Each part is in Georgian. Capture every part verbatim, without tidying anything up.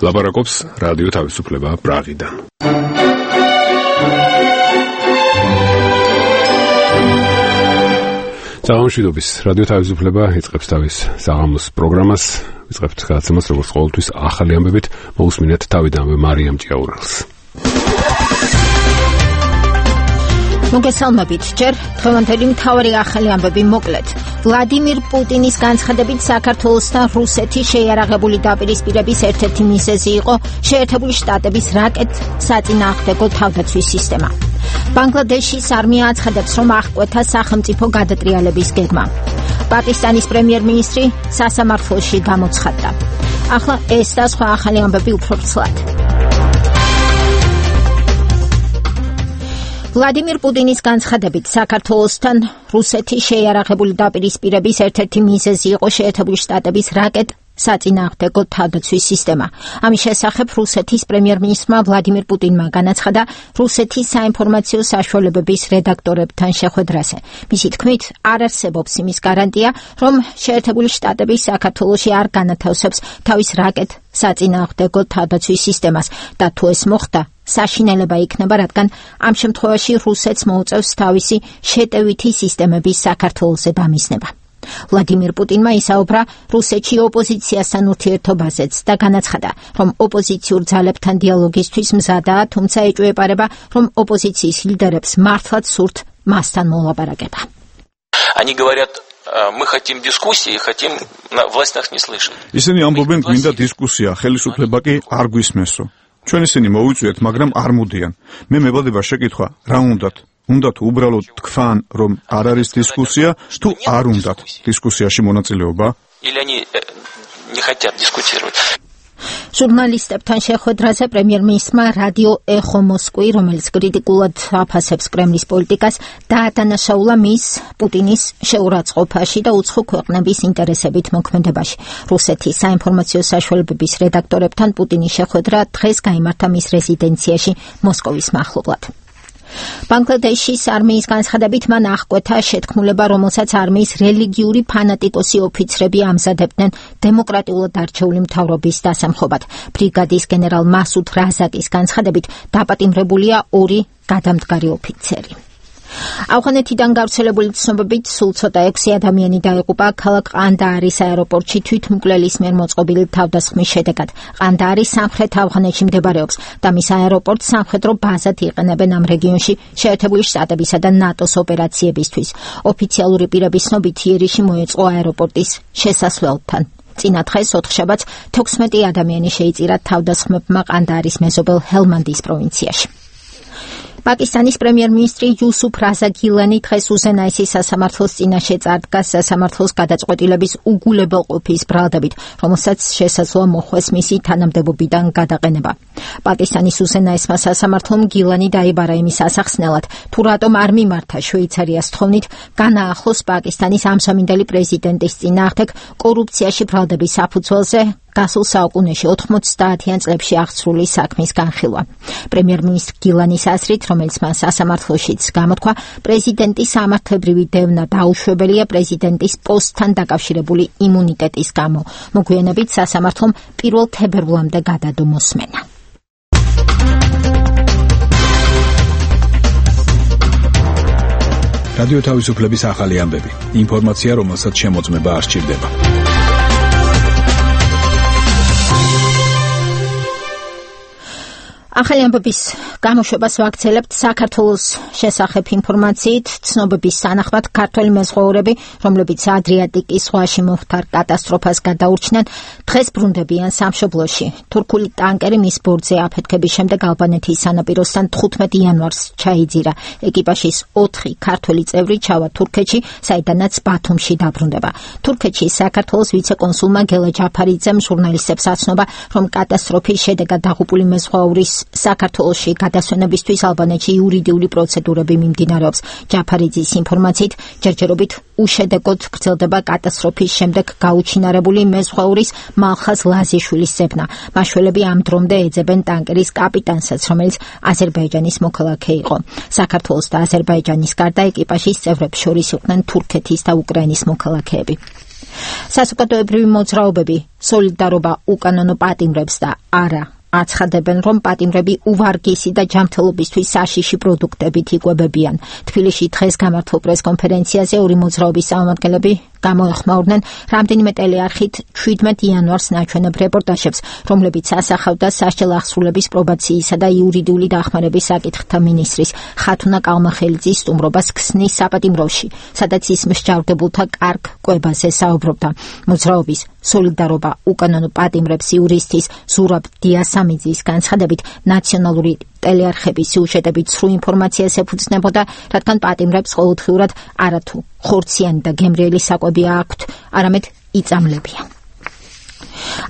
ლაპარაკობს რადიო თავისუფლება პრაღიდან. საღამოშვიდობის რადიო თავისუფლება იწყებს თავის საღამოს პროგრამას. იწყებთ გადაცემას როგორც ყოველთვის ახალი ამბებით, მოусმინეთ თავიდანვე მარიამ ჭიაურელს. მოგესალმებით, ჯერ დღევანდელი მთავარი ახალი ამბები მოკლედ. ვლადიმირ პუტინის განცხადებით საქართველოსთან რუსეთის შეიარაღებული დაპირისპირების ერთ-ერთი მიზეზი იყო შეერთებული შტატების რაკეტ-საწინააღმდეგო თავდაცვის სისტემა. ბანგლადეშის არმია აცხადებს, რომ აღკვეთა სახელმწიფო გადატრიალების გეგმა. პაკისტანის პრემიერ-მინისტრი სასამართლოში გამოცხადდა. ახლა ეს და სხვა ახალი ამბები უფრო ცალად. ვლადიმირ პუტინის განცხადებით საქართველოსთან რუსეთის შეიარაღებული დაპირისპირების ერთ-ერთი მიზეზი იყო შეერთებული შტატების რაკეტ-საწინააღმდეგო თავდაცვის სისტემა. ამის შესახებ რუსეთის პრემიერ-მინისტრმა ვლადიმირ პუტინმა განაცხადა რუსეთის საინფორმაციო საშუალებების რედაქტორებთან შეხვედრაზე. მისი თქმით, არ არსებობს იმის გარანტია, რომ შეერთებული შტატები საქართველოში არ განათავსებს თავის რაკეტ-საწინააღმდეგო თავდაცვის სისტემას და თუ ეს მოხდა, საშინელება იქნება, რადგან ამ შემთხვევაში რუსეთს მოუწევს თავისი შეტევითი სისტემების საქართველოზე დამიზნება. ვლადიმირ პუტინმა ისაუბრა რუსეთში ოპოზიციასთან ურთიერთობაზეც და განაცხადა, რომ ოპოზიციურ ძალებთან დიალოგისთვის მზადაა, თუმცა ეჭვეპარება, რომ ოპოზიციის ლიდერებს მართლაც სურთ მასთან მოლაპარაკება. Они говорят, мы хотим дискуссии, хотим власть нас не слышит. ისინი ამბობენ, გვინდა დისკუსია, ხელისუფლება კი არ გვისმესო. ჩვენ ისინი მოვიწვიეთ, მაგრამ არ მოდიან. მე მებადება შეკითხვა, რა უნდათ? უნდათ უბრალოდ თქვან, რომ არ არის დისკუსია, თუ არ უნდათ დისკუსიაში მონაწილეობა? Или они не хотят дискутировать. ჟურნალისტებთან შეხვედრაზე პრემიერ-მინისტრმა რადიო ეხო მოსკვი, რომელიც კრიტიკულად აფასებს კრემლის პოლიტიკას, დაადანაშაულა მის პუტინის შეურაცხყოფაში და უცხო ქვეყნების ინტერესებით მოქმედებაში. რუსეთის საინფორმაციო საშუალებების რედაქტორებთან პუტინის შეხვედრა დღეს გაიმართა მის რეზიდენციაში მოსკოვის მახლობლად. ბანგლადეშის არმიის განცხადებით მან აღკვეთა შეთქმულება, რომელსაც არმიის რელიგიური ფანატიკოსი ოფიცრები ამზადებდნენ დემოკრატიულად არჩეული მთავრობის დასამხობად. ბრიგადის გენერალ მასუდ რაზაკის განცხადებით დაპატიმრებულია ორი გადამდგარი ოფიცერი. ავღანეთიდან გავრცელებული ცნობებით სულ ცოტა ექვსი ადამიანი დაიღუპა ქალაქ ყანდაარის აეროპორტში თვითმკვლელის მიერ მოწყობილი თავდასხმის შედეგად. ყანდაარი სამხრეთ ავღანეთში მდებარეობს და მის აეროპორტს სამხედრო ბაზად იყენებენ ამ რეგიონში შეერთებული შტატებისა და ნატოს ოპერაციებისთვის. ოფიციალური პირების ცნობით იერიში მოეწყო აეროპორტის შესასვლელთან. წინა დღეს ოთხშაბათს თექვსმეტი ადამიანი შეიწირა თავდასხმებმა ყანდაარის მეზობელ ჰელმანდის პროვინციაში. პაკისტანის პრემიერ-მინისტრი იუსუფ რაზა გილანი დღეს უზენაესი სასამართლოს წინაშე წარდგა სასამართლოს გადაწყვეტილების უგულებელყოფის ბრალდებით, რომელსაც შესაძლოა მოხვეს მისი თანამდებობიდან გადაყენება. პაკისტანის უზენაესმა სასამართლომ გილანი დაიბარა იმის ასახსნელად, თუ რატომ არ მიმართა შვეიცარიას თხოვნით განაახლოს პაკისტანის ამჟამინდელი პრეზიდენტის წინააღმდეგ კორუფციაში ბრალდების საფუძველზე გასულ საუკუნეში ოთხმოცდაათიან წლებში აღსრული საქმის განხილვა. პრემიერ-მინისტრ გილანის აზრით, რომელიც მან სასამართლოშიც გამოთქვა, პრეზიდენტის სამართლებრივი დევნა დაუშვებელია პრეზიდენტის პოსტთან დაკავშირებული იმუნიტეტის გამო. მოგვიანებით სასამართლომ პირველ თებერვლამდე გადადო მოსმენა. რადიო თავისუფლების ახალი ამბები. ინფორმაცია, რომელსაც შემოწმება არ სჭირდება. ახალი ამბების გამოშვებას ვაგრძელებთ საქართველოს შესახებ ინფორმაციით. ცნობების თანახმად ქართველი მეზღვაურები, რომლებიც ადრიატიკის ზღვაში მომხდარ კატასტროფას გადაურჩნენ, დღეს ბრუნდებიან სამშობლოში. თურქული ტანკერი მის ბორტზე აფეთქების შემდეგ ალბანეთის სანაპიროსთან თხუთმეტი იანვარს ჩაიძირა. ეკიპაჟის ოთხი ქართველი წევრი ჩავა თურქეთში, საიდანაც ბათუმში დაბრუნდება. თურქეთში საქართველოს ვიცე-კონსულმა გელა ჯაფარიძემ ჟურნალისტებს აცნობა, რომ კატასტროფის შედეგად დაღუპული მეზღვაურის საქართველოში გადასვენებისთვის ალბანეთში იურიდიული პროცედურები მიმდინარეობს. ჯაფარიძის ინფორმაციით, ჯერჯერობით უშედეგოდ გრძელდება კატასტროფის შემდეგ გაუჩინარებული მეზღვაურის მალხაზ ლაზიშვილის ზებნა. მაშველები ამ დრომდე ეძებენ ტანკერის კაპიტანსაც, რომელიც აზერბაიჯანის მოქალაქე იყო. საქართველოს და აზერბაიჯანის გარდა ეკიპაჟის წევრებს შორის იყვნენ თურქეთის და უკრაინის მოქალაქეები. საზოგადოებრივი მოძრაობები სოლიდარობა უკანონო პატიმრებს და არა აცხადებენ, რომ პატიმრები უვარგისი და ჯანმრთელობისთვის საშიში პროდუქტებით იკვებებიან. თბილისში დღეს გამართულ პრესკონფერენციაზე ორი მოძრაობის წარმომადგენლები გამოეხმაურნენ რამდენიმე ტელეარხით ჩვიდმეტ იანვარს ნაჩვენებ რეპორტაჟებს, რომლებიც ასახავდა სასჯელ აღსრულების პრობაციისა და იურიდიული დახმარების საკითხთა მინისტრის ხათუნა კალმახელიძის სტუმრობას ქსნის საპატიმროში, სადაც ის მსჯავრდებულთა კარგ კვებაზე საუბრობდა. მოძრაობის სოლიდარობა უკანონო პატიმრებს იურისტის ზურაბ დიასამიძის განცხადებით ნაციონალური ტელეარხების სიუჟეტებით სრულ ინფორმაციას ეფუძნებოდა, რადგან პატიმრებს ყოველდღიურად არათუ ხორციანი და გემრიელი საკვები აქვთ, არამედ იწამლებიან.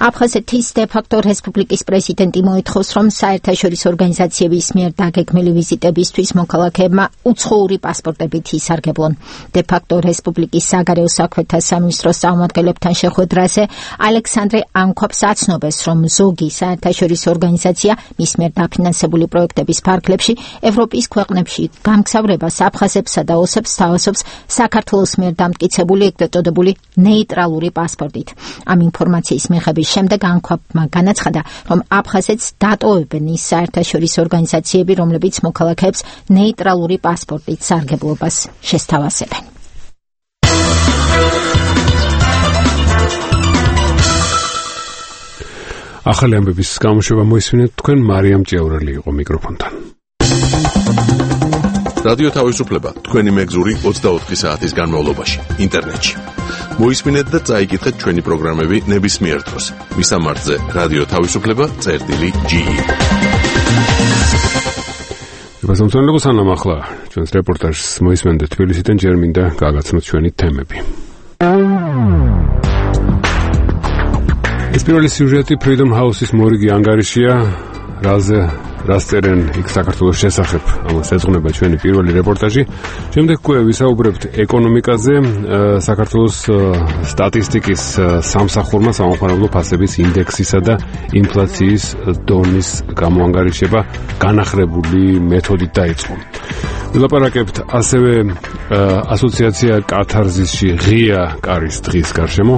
აფხაზეთის დე-ფაქტო რესპუბლიკის პრეზიდენტი მოითხოვს, რომ საერთაშორისო ორგანიზაციების მიერ დაგეგმილი ვიზიტებისთვის მოქალაქეებმა უცხოური პასპორტებით ისარგებლონ. დე-ფაქტო რესპუბლიკის საგარეო საქმეთა სამინისტროს წარმომადგენლებთან შეხვედრაზე ალექსანდრე ანქვაპს აცნობს, რომ ზოგი საერთაშორისო ორგანიზაცია მის მიერ დაფინანსებული პროექტების ფარგლებში ევროპის ქვეყნებში გამგზავრებას აფხაზებსა და ოსებს თავაზობს საქართველოს მიერ დამტკიცებული ეგრეთ წოდებული ნეიტრალური პასპორტით. ამ ინფორმაციის მიღების შემდეგ ანქვაპმა განაცხადა, რომ აფხაზეთს დატოვებენ ის საერთაშორისო ორგანიზაციები, რომლებიც მოქალაქეებს ნეიტრალური პასპორტით სარგებლობას შესთავაზებენ. ახალი ამბების გამოშვება მოისმინეთ თქვენ, მარიამ ჭიაურელი იყო მიკროფონთან. რადიო თავისუფლება თქვენი მეგზური ოცდაოთხი საათის განმავლობაში ინტერნეტში. მოისმინეთ და წაიკითხეთ ჩვენი პროგრამები ნებისმიერ დროს. მისამართზე რადიო თავისუფლება წერტილი ჯი ი. გასამწვანებო სანამ ახლა ჩვენს რეპორტაჟს მოისმენთ თბილისიდან, ჯერ მინდა გაგაცნოთ ჩვენი თემები. ეს პირველი სიუჟეტი Freedom House-ის მორიგი ანგარიშია, რაზე რას წერენ იქ საქართველოს შესახებ. ამას ეძღვნება ჩვენი პირველი რეპორტაჟი. შემდეგ უკვე ვისაუბრებთ ეკონომიკაზე. საქართველოს სტატისტიკის სამსახურმა სამხარებლო ფასების ინდექსისა და ინფლაციის დონის გამოანგარიშება განახრებული მეთოდით დაიწყო. ვილაპარაკებთ ასევე ასოციაცია კათარზისში ღია კარის დღის გარშემო.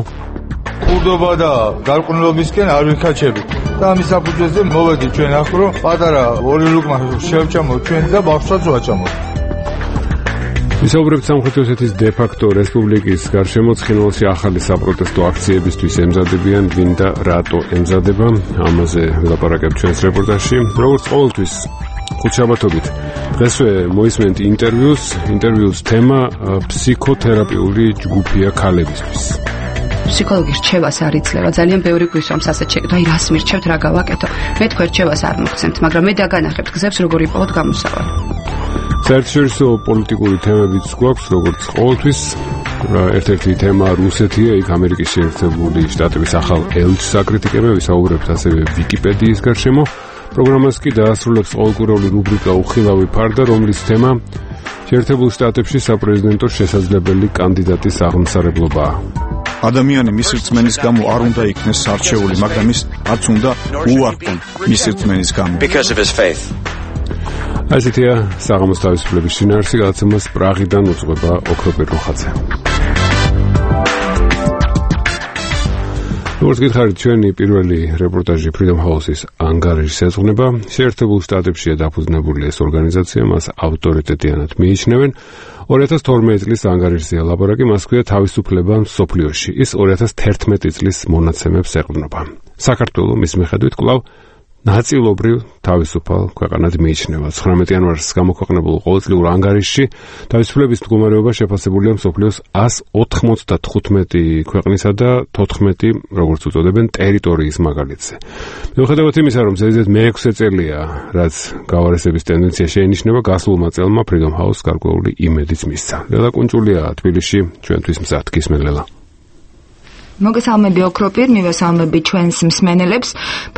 კურდობა და გარყვნილობისკენ არ ვიქაჩებით და ამის საფუძველზე მოვედი ჩვენ ახ რომ პატარა ორი ლუკმა შევჭამოთ ჩვენ და ბავშვსაც ვაჭამოთ. ვისაუბრებთ სამხრეთ ოსეთის დე-ფაქტო რესპუბლიკის გარშემო. ცხინვალში ახალი საპროტესტო აქციებისთვის ემზადებიან, ვინ და რატო ემზადება, ამაზე ვილაპარაკებთ ჩვენს რეპორტაჟში. როგორც ყოველთვის ხუთშაბათობით დღესვე მოისმენთ ინტერვიუს. ინტერვიუს თემა ფსიქოთერაპიული ჯგუფია ქალებისთვის. ფსიქოლოგის რჩევას არ იძლევა, ძალიან ბევრი გვისვამს ასეთ შეკითხვა, აი რას მირჩევთ, რა გავაკეთო. მე თქვენ რჩევას არ მოგცემთ, მაგრამ მე დაგანახებთ გზებს, როგორ იპოვოთ გამოსავალი. საერთაშორისო პოლიტიკური თემებიც გვაქვს, როგორც ყოველთვის. ერთ-ერთი თემა რუსეთია, იქ ამერიკის შეერთებული შტატების ახალ ელჩს აკრიტიკებენ, ვისაუბრებთ ასევე ვიკიპედიის გარშემო. პროგრამას კი დაასრულებს ყოველკვირეული რუბრიკა უხილავი ფარდა, რომლის თემა შეერთებულ შტატებში საპრეზიდენტო შესაძლებელი კანდიდატის აღმსარებლობაა. ადამიანი მის რწმენის გამო არ უნდა იქნეს არჩეული, მაგრამ ის არც უნდა უარყონ მის რწმენის გამო. Because of his faith. ასეთია საღამოს თავისუფლების შინაარსი, გადაცემას პრაღიდან უძღვება ოქროპირ როხაძე. როგორც გითხარით, ჩვენი პირველი რეპორტაჟი Freedom House-ის ანგარიშს ეძღვნება. შეერთებულ შტატებშია დაფუძნებული ეს ორგანიზაცია, მას ავტორიტეტიანად მიიჩნევენ. ორი ათას თორმეტი წლის ანგარიშზეა ლაპარაკი, მას ქვია თავისუფლება მსოფლიოში. ის ორი ათას თერთმეტი წლის მონაცემებს ეყრდნობა. საქართველო მის მიხედვით კვლავ ნაწილობრივ თავისუფალ ქვეყანად მიიჩნევა. ცხრამეტი იანვარს გამოქვეყნებულ ყოველწლიურ ანგარიშში თავისუფლების მდგომარეობა შეფასებულია მსოფლიოს ას ოთხმოცდათხუთმეტი ქვეყნისა და თოთხმეტი, როგორც უწოდებენ, ტერიტორიის მაგალითზე. მიუხედავად იმისა, რომ ზედიზედ მეექვსე წელია, რაც გავარესების ტენდენცია შეინიშნება, გასულმა წელმა Freedom House გარკვეული იმედიც მისცა. ლელა კუნჭულია თბილისში, ჩვენთვის მზად გისმენლელა. მოგესალმები ოქროპირ, მივესალმები ჩვენს მსმენელებს.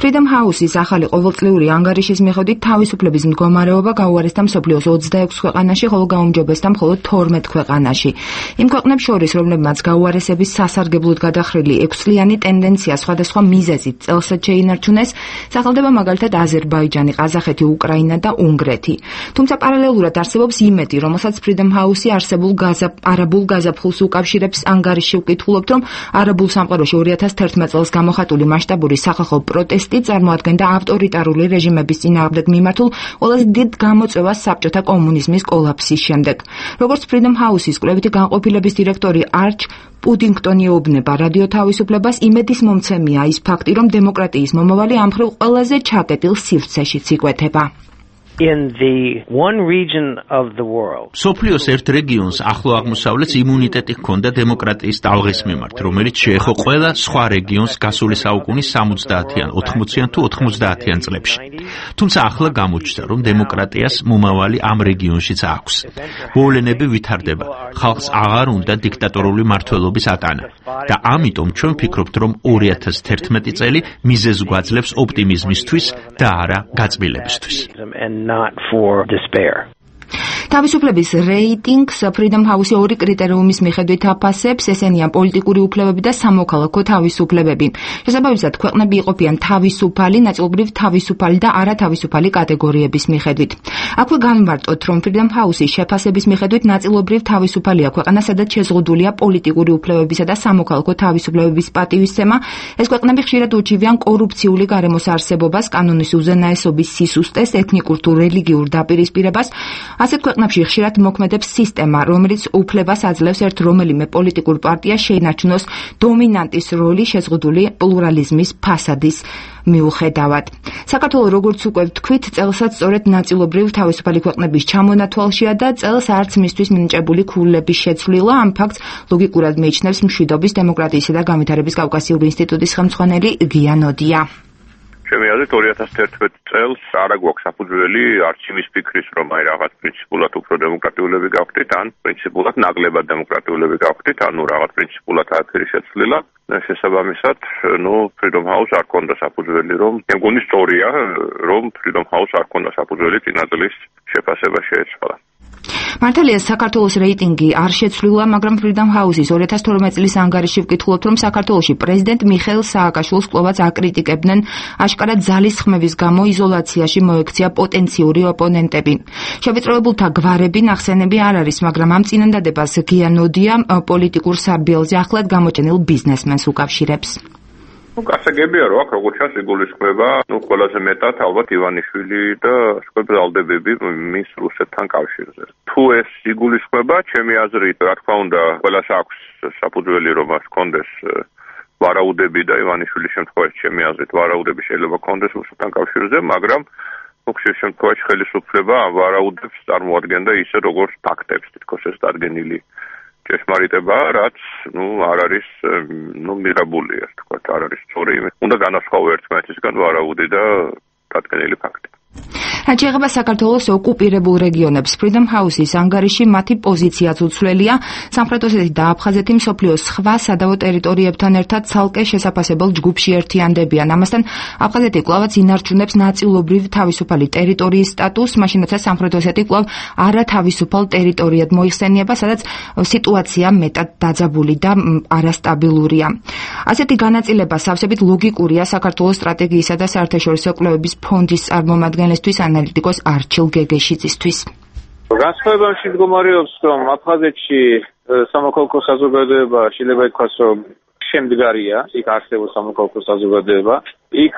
Freedom House-ის ახალი ყოველწლიური ანგარიშის მიხედვით თავისუფლების მდგომარეობა გაუარესდა მსოფლიოს ოცდაექვს ქვეყანაში, ხოლო გაუმჯობესდა მხოლოდ თორმეტ ქვეყანაში. იმ ქვეყნებს შორის, რომლებმაც გაუარესების სასარგებლოდ გადახრილი ექვსწლიანი ტენდენცია სხვადასხვა მიზეზით წელსაც შეინარჩუნეს, სახელდება მაგალითად აზერბაიჯანი, ყაზახეთი, უკრაინა და უნგრეთი. თუმცა პარალელურად არსებობს იმედი, რომელსაც Freedom House-ი არსებულ არაბულ გაზაფხულს უკავშირებს. ანგარიში ვკითხულობთ, რომ არაბულ ქართულ სამყაროში ორი ათას თერთმეტ წელს გამოხატული მასშტაბური სახალხო პროტესტი წარმოადგენდა ავტორიტარული რეჟიმების წინააღმდეგ მიმართულ ყველაზე დიდ გამოწვევას საბჭოთა კომუნიზმის კოლაფსის შემდეგ. როგორც Freedom House-ის კვლევითი განყოფილების დირექტორი არჩ პუდინგტონი ეუბნება რადიო თავისუფლებას, იმედის მომცემია ის ფაქტი, რომ დემოკრატიის მომავალი ამ მხრივ ყველაზე ჩაკეტილ სივრცეშიც იკვეთება. In the one region of the world. სოფლიოს ერთ რეგიონს ახლო აღმოსავლეთს იმუნიტეტი ჰქონდა დემოკრატიის ტალღის მიმართ, რომელიც შეეხო ყველა სხვა რეგიონს გასული საუკუნის სამოცდაათიან, ოთხმოციან თუ ოთხმოცდაათიან წლებში. თუმცა ახლა გამოჩნდა, რომ დემოკრატიას მომავალი ამ რეგიონშიც აქვს. მოვლენები ვითარდება, ხალხს აღარ უნდა დიქტატორული მმართველობის ატანა. და ამიტომ ჩვენ ვფიქრობთ, რომ ორი ათას თერთმეტი წელი მიზეზს გვაძლევს ოპტიმიზმისთვის და არა გაწმილებისთვის. Not for despair. თავისუფლების რეიტინგს Freedom House ორი კრიტერიუმის მიხედვით აფასებს, ესენია პოლიტიკური უფლებები და სამოქალაქო თავისუფლებები. შესაბამისად, ქვეყნები იყოფიან თავისუფალი, ნაწილობრივ თავისუფალი და არათავისუფალი კატეგორიების მიხედვით. აქვე განვარტოთ, რომ Freedom House-ის შეფასების მიხედვით ნაწილობრივ თავისუფალია ქვეყანა, სადაც შეზღუდულია პოლიტიკური უფლებებისა და სამოქალაქო თავისუფლებების პატივისცემა. ეს ქვეყნები ხშირად ურჩივიან კორუფციული გარემოს არსებობას, კანონის უზენაესობის სისუსტეს, ეთნიკურ თუ რელიგიურ დაპირისპირებას. ასეთ ქვეყნებში ხშირად მოქმედებს სისტემა, რომელიც უფლებას აძლევს ერთ რომელიმე პოლიტიკურ პარტიას შეინარჩუნოს დომინანტის როლი შეზღუდული პლურალიზმის ფასადის მიუხედავად. საქართველოს როგორც უკვე ვთქვით, წელსაც სწორედ ნაწილობრივ თავისუფალი ქვეყნების ჩამონათვალშია და წელს არც მისთვის მინიჭებული ქულების შეცვლილა. ამ ფაქტს ლოგიკურად მიიჩნევს მშვიდობის, დემოკრატიისა და განვითარების კავკასიური ინსტიტუტის ხელმძღვანელი გია ნოდია. ჩემი აზრით ორი ათას თერთმეტ წელს არ აქვს საფუძველი არც იმის ფიქრის, რომ აი რაღაც პრინციპულად უფრო დემოკრატიულები გავხდით, ან პრინციპულად ნაკლებად დემოკრატიულები გავხდით, ანუ რაღაც პრინციპულად არაფერი შეცვლილა. შესაბამისად, ნუ Freedom House არ ქონდა საფუძველი, რომ მეგონი სწორია, რომ Freedom House არ ქონდა საფუძველი წინაწლის შეფასება შეეცვალა. მართალია საქართველოს რეიტინგი არ შეცვლილა, მაგრამ Freedom House-ის ორი ათას თორმეტ წლის ანგარიში ვკითხულობთ, რომ საქართველოში პრეზიდენტ მიხეილ სააკაშვილს კვლავაც აკრიტიკებდნენ, აშკარად ძალისხმევის გამო იზოლაციაში მოექცია პოტენციური ოპონენტები. შევიწროებულთა გვარები ნახსენები არ არის, მაგრამ ამ წინადადებას გია ნოდია პოლიტიკურ სარბიელზე ახლად გამოჩენილ ბიზნესმენს უკავშირებს. Ну, გასაგებია, რომ აქ როგორც ჩანს იგულისხმება, ну, ყველაზე მეტად ალბათ ივანიშვილი და სკოლბალდებები მის რუსეთთან კავშირზე. თუ ეს იგულისხმება, ჩემი აზრით, რა თქმა უნდა, ყველას აქვს საფუძველი, რომ მას კონდეს ვარაუდები და ივანიშვილის შემთხვევაში, ჩემი აზრით, ვარაუდები შეიძლება კონდეს რუსეთთან კავშირზე, მაგრამ ну, ხშირ შემთხვევაში ხელისუფლება ამ ვარაუდებს წარმოადგენდა ისე, როგორც ფაქტებს, თითქოს ეს დადგენილი ჭეშმარიტება, რაც ну არ არის ну მიღებული, ასე ვთქვათ, არ არის სწორი. უნდა განასხვავო ერთმანეთისგან ვარაუდი და დადგენილი ფაქტი. რაც შეეხება საქართველოს ოკუპირებულ რეგიონებს, Freedom House-ის ანგარიში მათი პოზიციაც უცვლელია. სამხრეთ ოსეთი და აფხაზეთი მსოფლიოს სხვა სადავო ტერიტორიებთან ერთად ცალკე შესაფასებელ ჯგუფში ერთიანდებიან. ამასთან აფხაზეთი კვლავაც ინარჩუნებს ნაწილობრივ თავისუფალი ტერიტორიის სტატუსს, მაშინ როცა სამხრეთ ოსეთი კვლავ არათავისუფალ ტერიტორიად მოიხსენიება, სადაც სიტუაცია მეტად დაძაბული და არასტაბილურია. ასეთი განაწილება სავსებით ლოგიკურია საქართველოს სტრატეგიისა და საერთაშორისო კვლევების ფონდის წარმომადგენლისთვის ანალიტიკოს არჩილ გეგეშიძისთვის. განსხვავებაში მდგომარეობს, რომ აფხაზეთში სამოქალაქო საზოგადოება შეიძლება ითქვას, რომ შემდგარია, იქ არსებობს სამოქალაქო საზოგადოება, იქ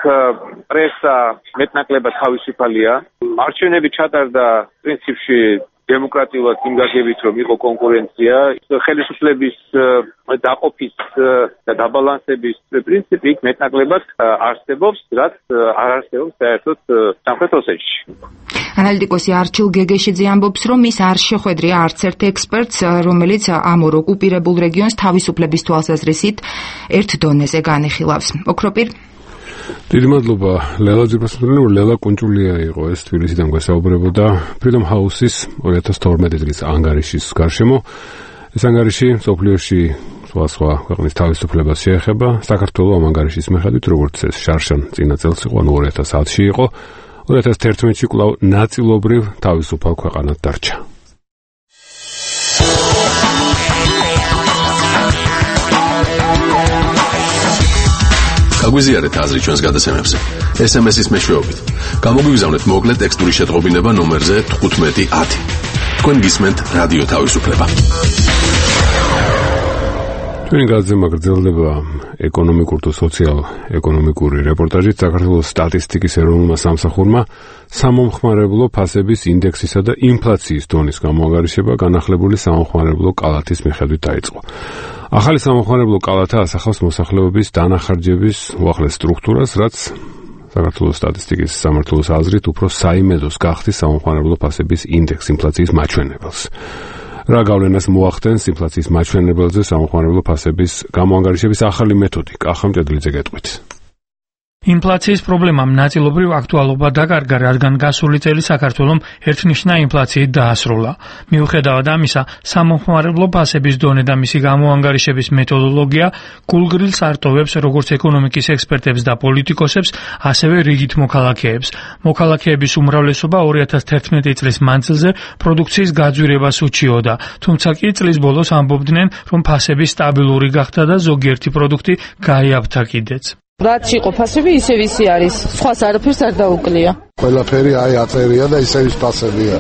პრესა მეტნაკლებად თავისუფალია, არჩევნები ჩატარდა პრინციპში დემოკრატიულად იმ გაგებით, რომ იყო კონკურენცია, ხელისუფლების დაყოფის და დაბალანსების პრინციპი იქ მეტნაკლებად არსებობს, რაც არ არსებობს საერთოდ სამხრეთ ოსეთში. ანალიტიკოსი არჩილ გეგეშიძე ამბობს, რომ ის არ შეხვედრია არც ერთ ექსპერტს, რომელიც ამ ორ ოკუპირებულ რეგიონს თავისუფლების თვალსაზრისით ერთ დონეზე განიხილავს. ოქროპირ დიდი მადლობა ლელა ძირფასმდელი, ლელა კუნჭულია იყო ეს თბილისიდან გვესაუბრებოდა Freedom House-ის ორი ათას თორმეტი წლის ანგარიშის გარშემო. ეს ანგარიში სოფლიოში სხვა სხვა ქვეყნის თავისუფლებას შეეხება. საქართველოს ამ ანგარიშის მიხედვით, როგორც ეს შარშან წინა წელს იყო, ანუ ორი ათას ათში იყო, ორი ათას თერთმეტში კვლავ ნაწილობრივ თავისუფალ ქვეყანად დარჩა. გაგვიზიარეთ აზრი ჩვენს გადაცემებზე. ეს ემ ეს-ის მეშვეობით. გამოგვიგზავნეთ მოკლე ტექსტური შეტყობინება ნომერზე თხუთმეტი ათი. თქვენ გისმენთ რადიო თავისუფლება. ჩვენი გაზემა გრძელდება ეკონომიკურ თუ სოციალ-ეკონომიკური რეპორტაჟით საქართველოს სტატისტიკის ეროვნულმა სამსახურმა სამომხმარებლო ფასების ინდექსისა და ინფლაციის დონის გამოანგარიშება განახლებული სამომხმარებლო კალათის მიხედვით დაიწყო. ახალი სამომხმარებლო კალათა ასახავს მოსახლეობის დანახარჯების უახლეს სტრუქტურას, რაც საქართველოს სტატისტიკის სამმართველოს აზრით უფრო საიმედოს გახდის სამომხმარებლო ფასების ინდექს ინფლაციის მაჩვენებელს. რა გავლენას მოახდენს ინფლაციის მაჩვენებელზე სამომხმარებლო ფასების გამოანგარიშების ახალი მეთოდი? კახა მჭედლიძე გეტყვით. ინფლაციის პრობლემამ ნაწილობრივ აქტუალობა დაკარგა, რადგან გასული წელი საქართველომ ერთნიშნა ინფლაციით დაასრულა. მიუხედავად ამისა, სამომხმარებლო ფასების დონე და მისი გამოანგარიშების მეთოდოლოგია გულგრილს არტოვებს როგორც ეკონომიკის ექსპერტებს და პოლიტიკოსებს, ასევე რიგით მოქალაქეებს. მოქალაქეების უმრავლესობა ორი ათას თერთმეტი წლის მანძილზე პროდუქციის გაძვირებას უჩიოდა, თუმცა კი წლის ბოლოს ამბობდნენ, რომ ფასები სტაბილური გახდა და ზოგიერთი პროდუქტი გაიაფთა კიდეც. რაც იყო ფასები ისევ ისე არის, სხვას არაფერს არ დაუკლია. ყველაფერი აი აწერია და ისევ ის ფასებია.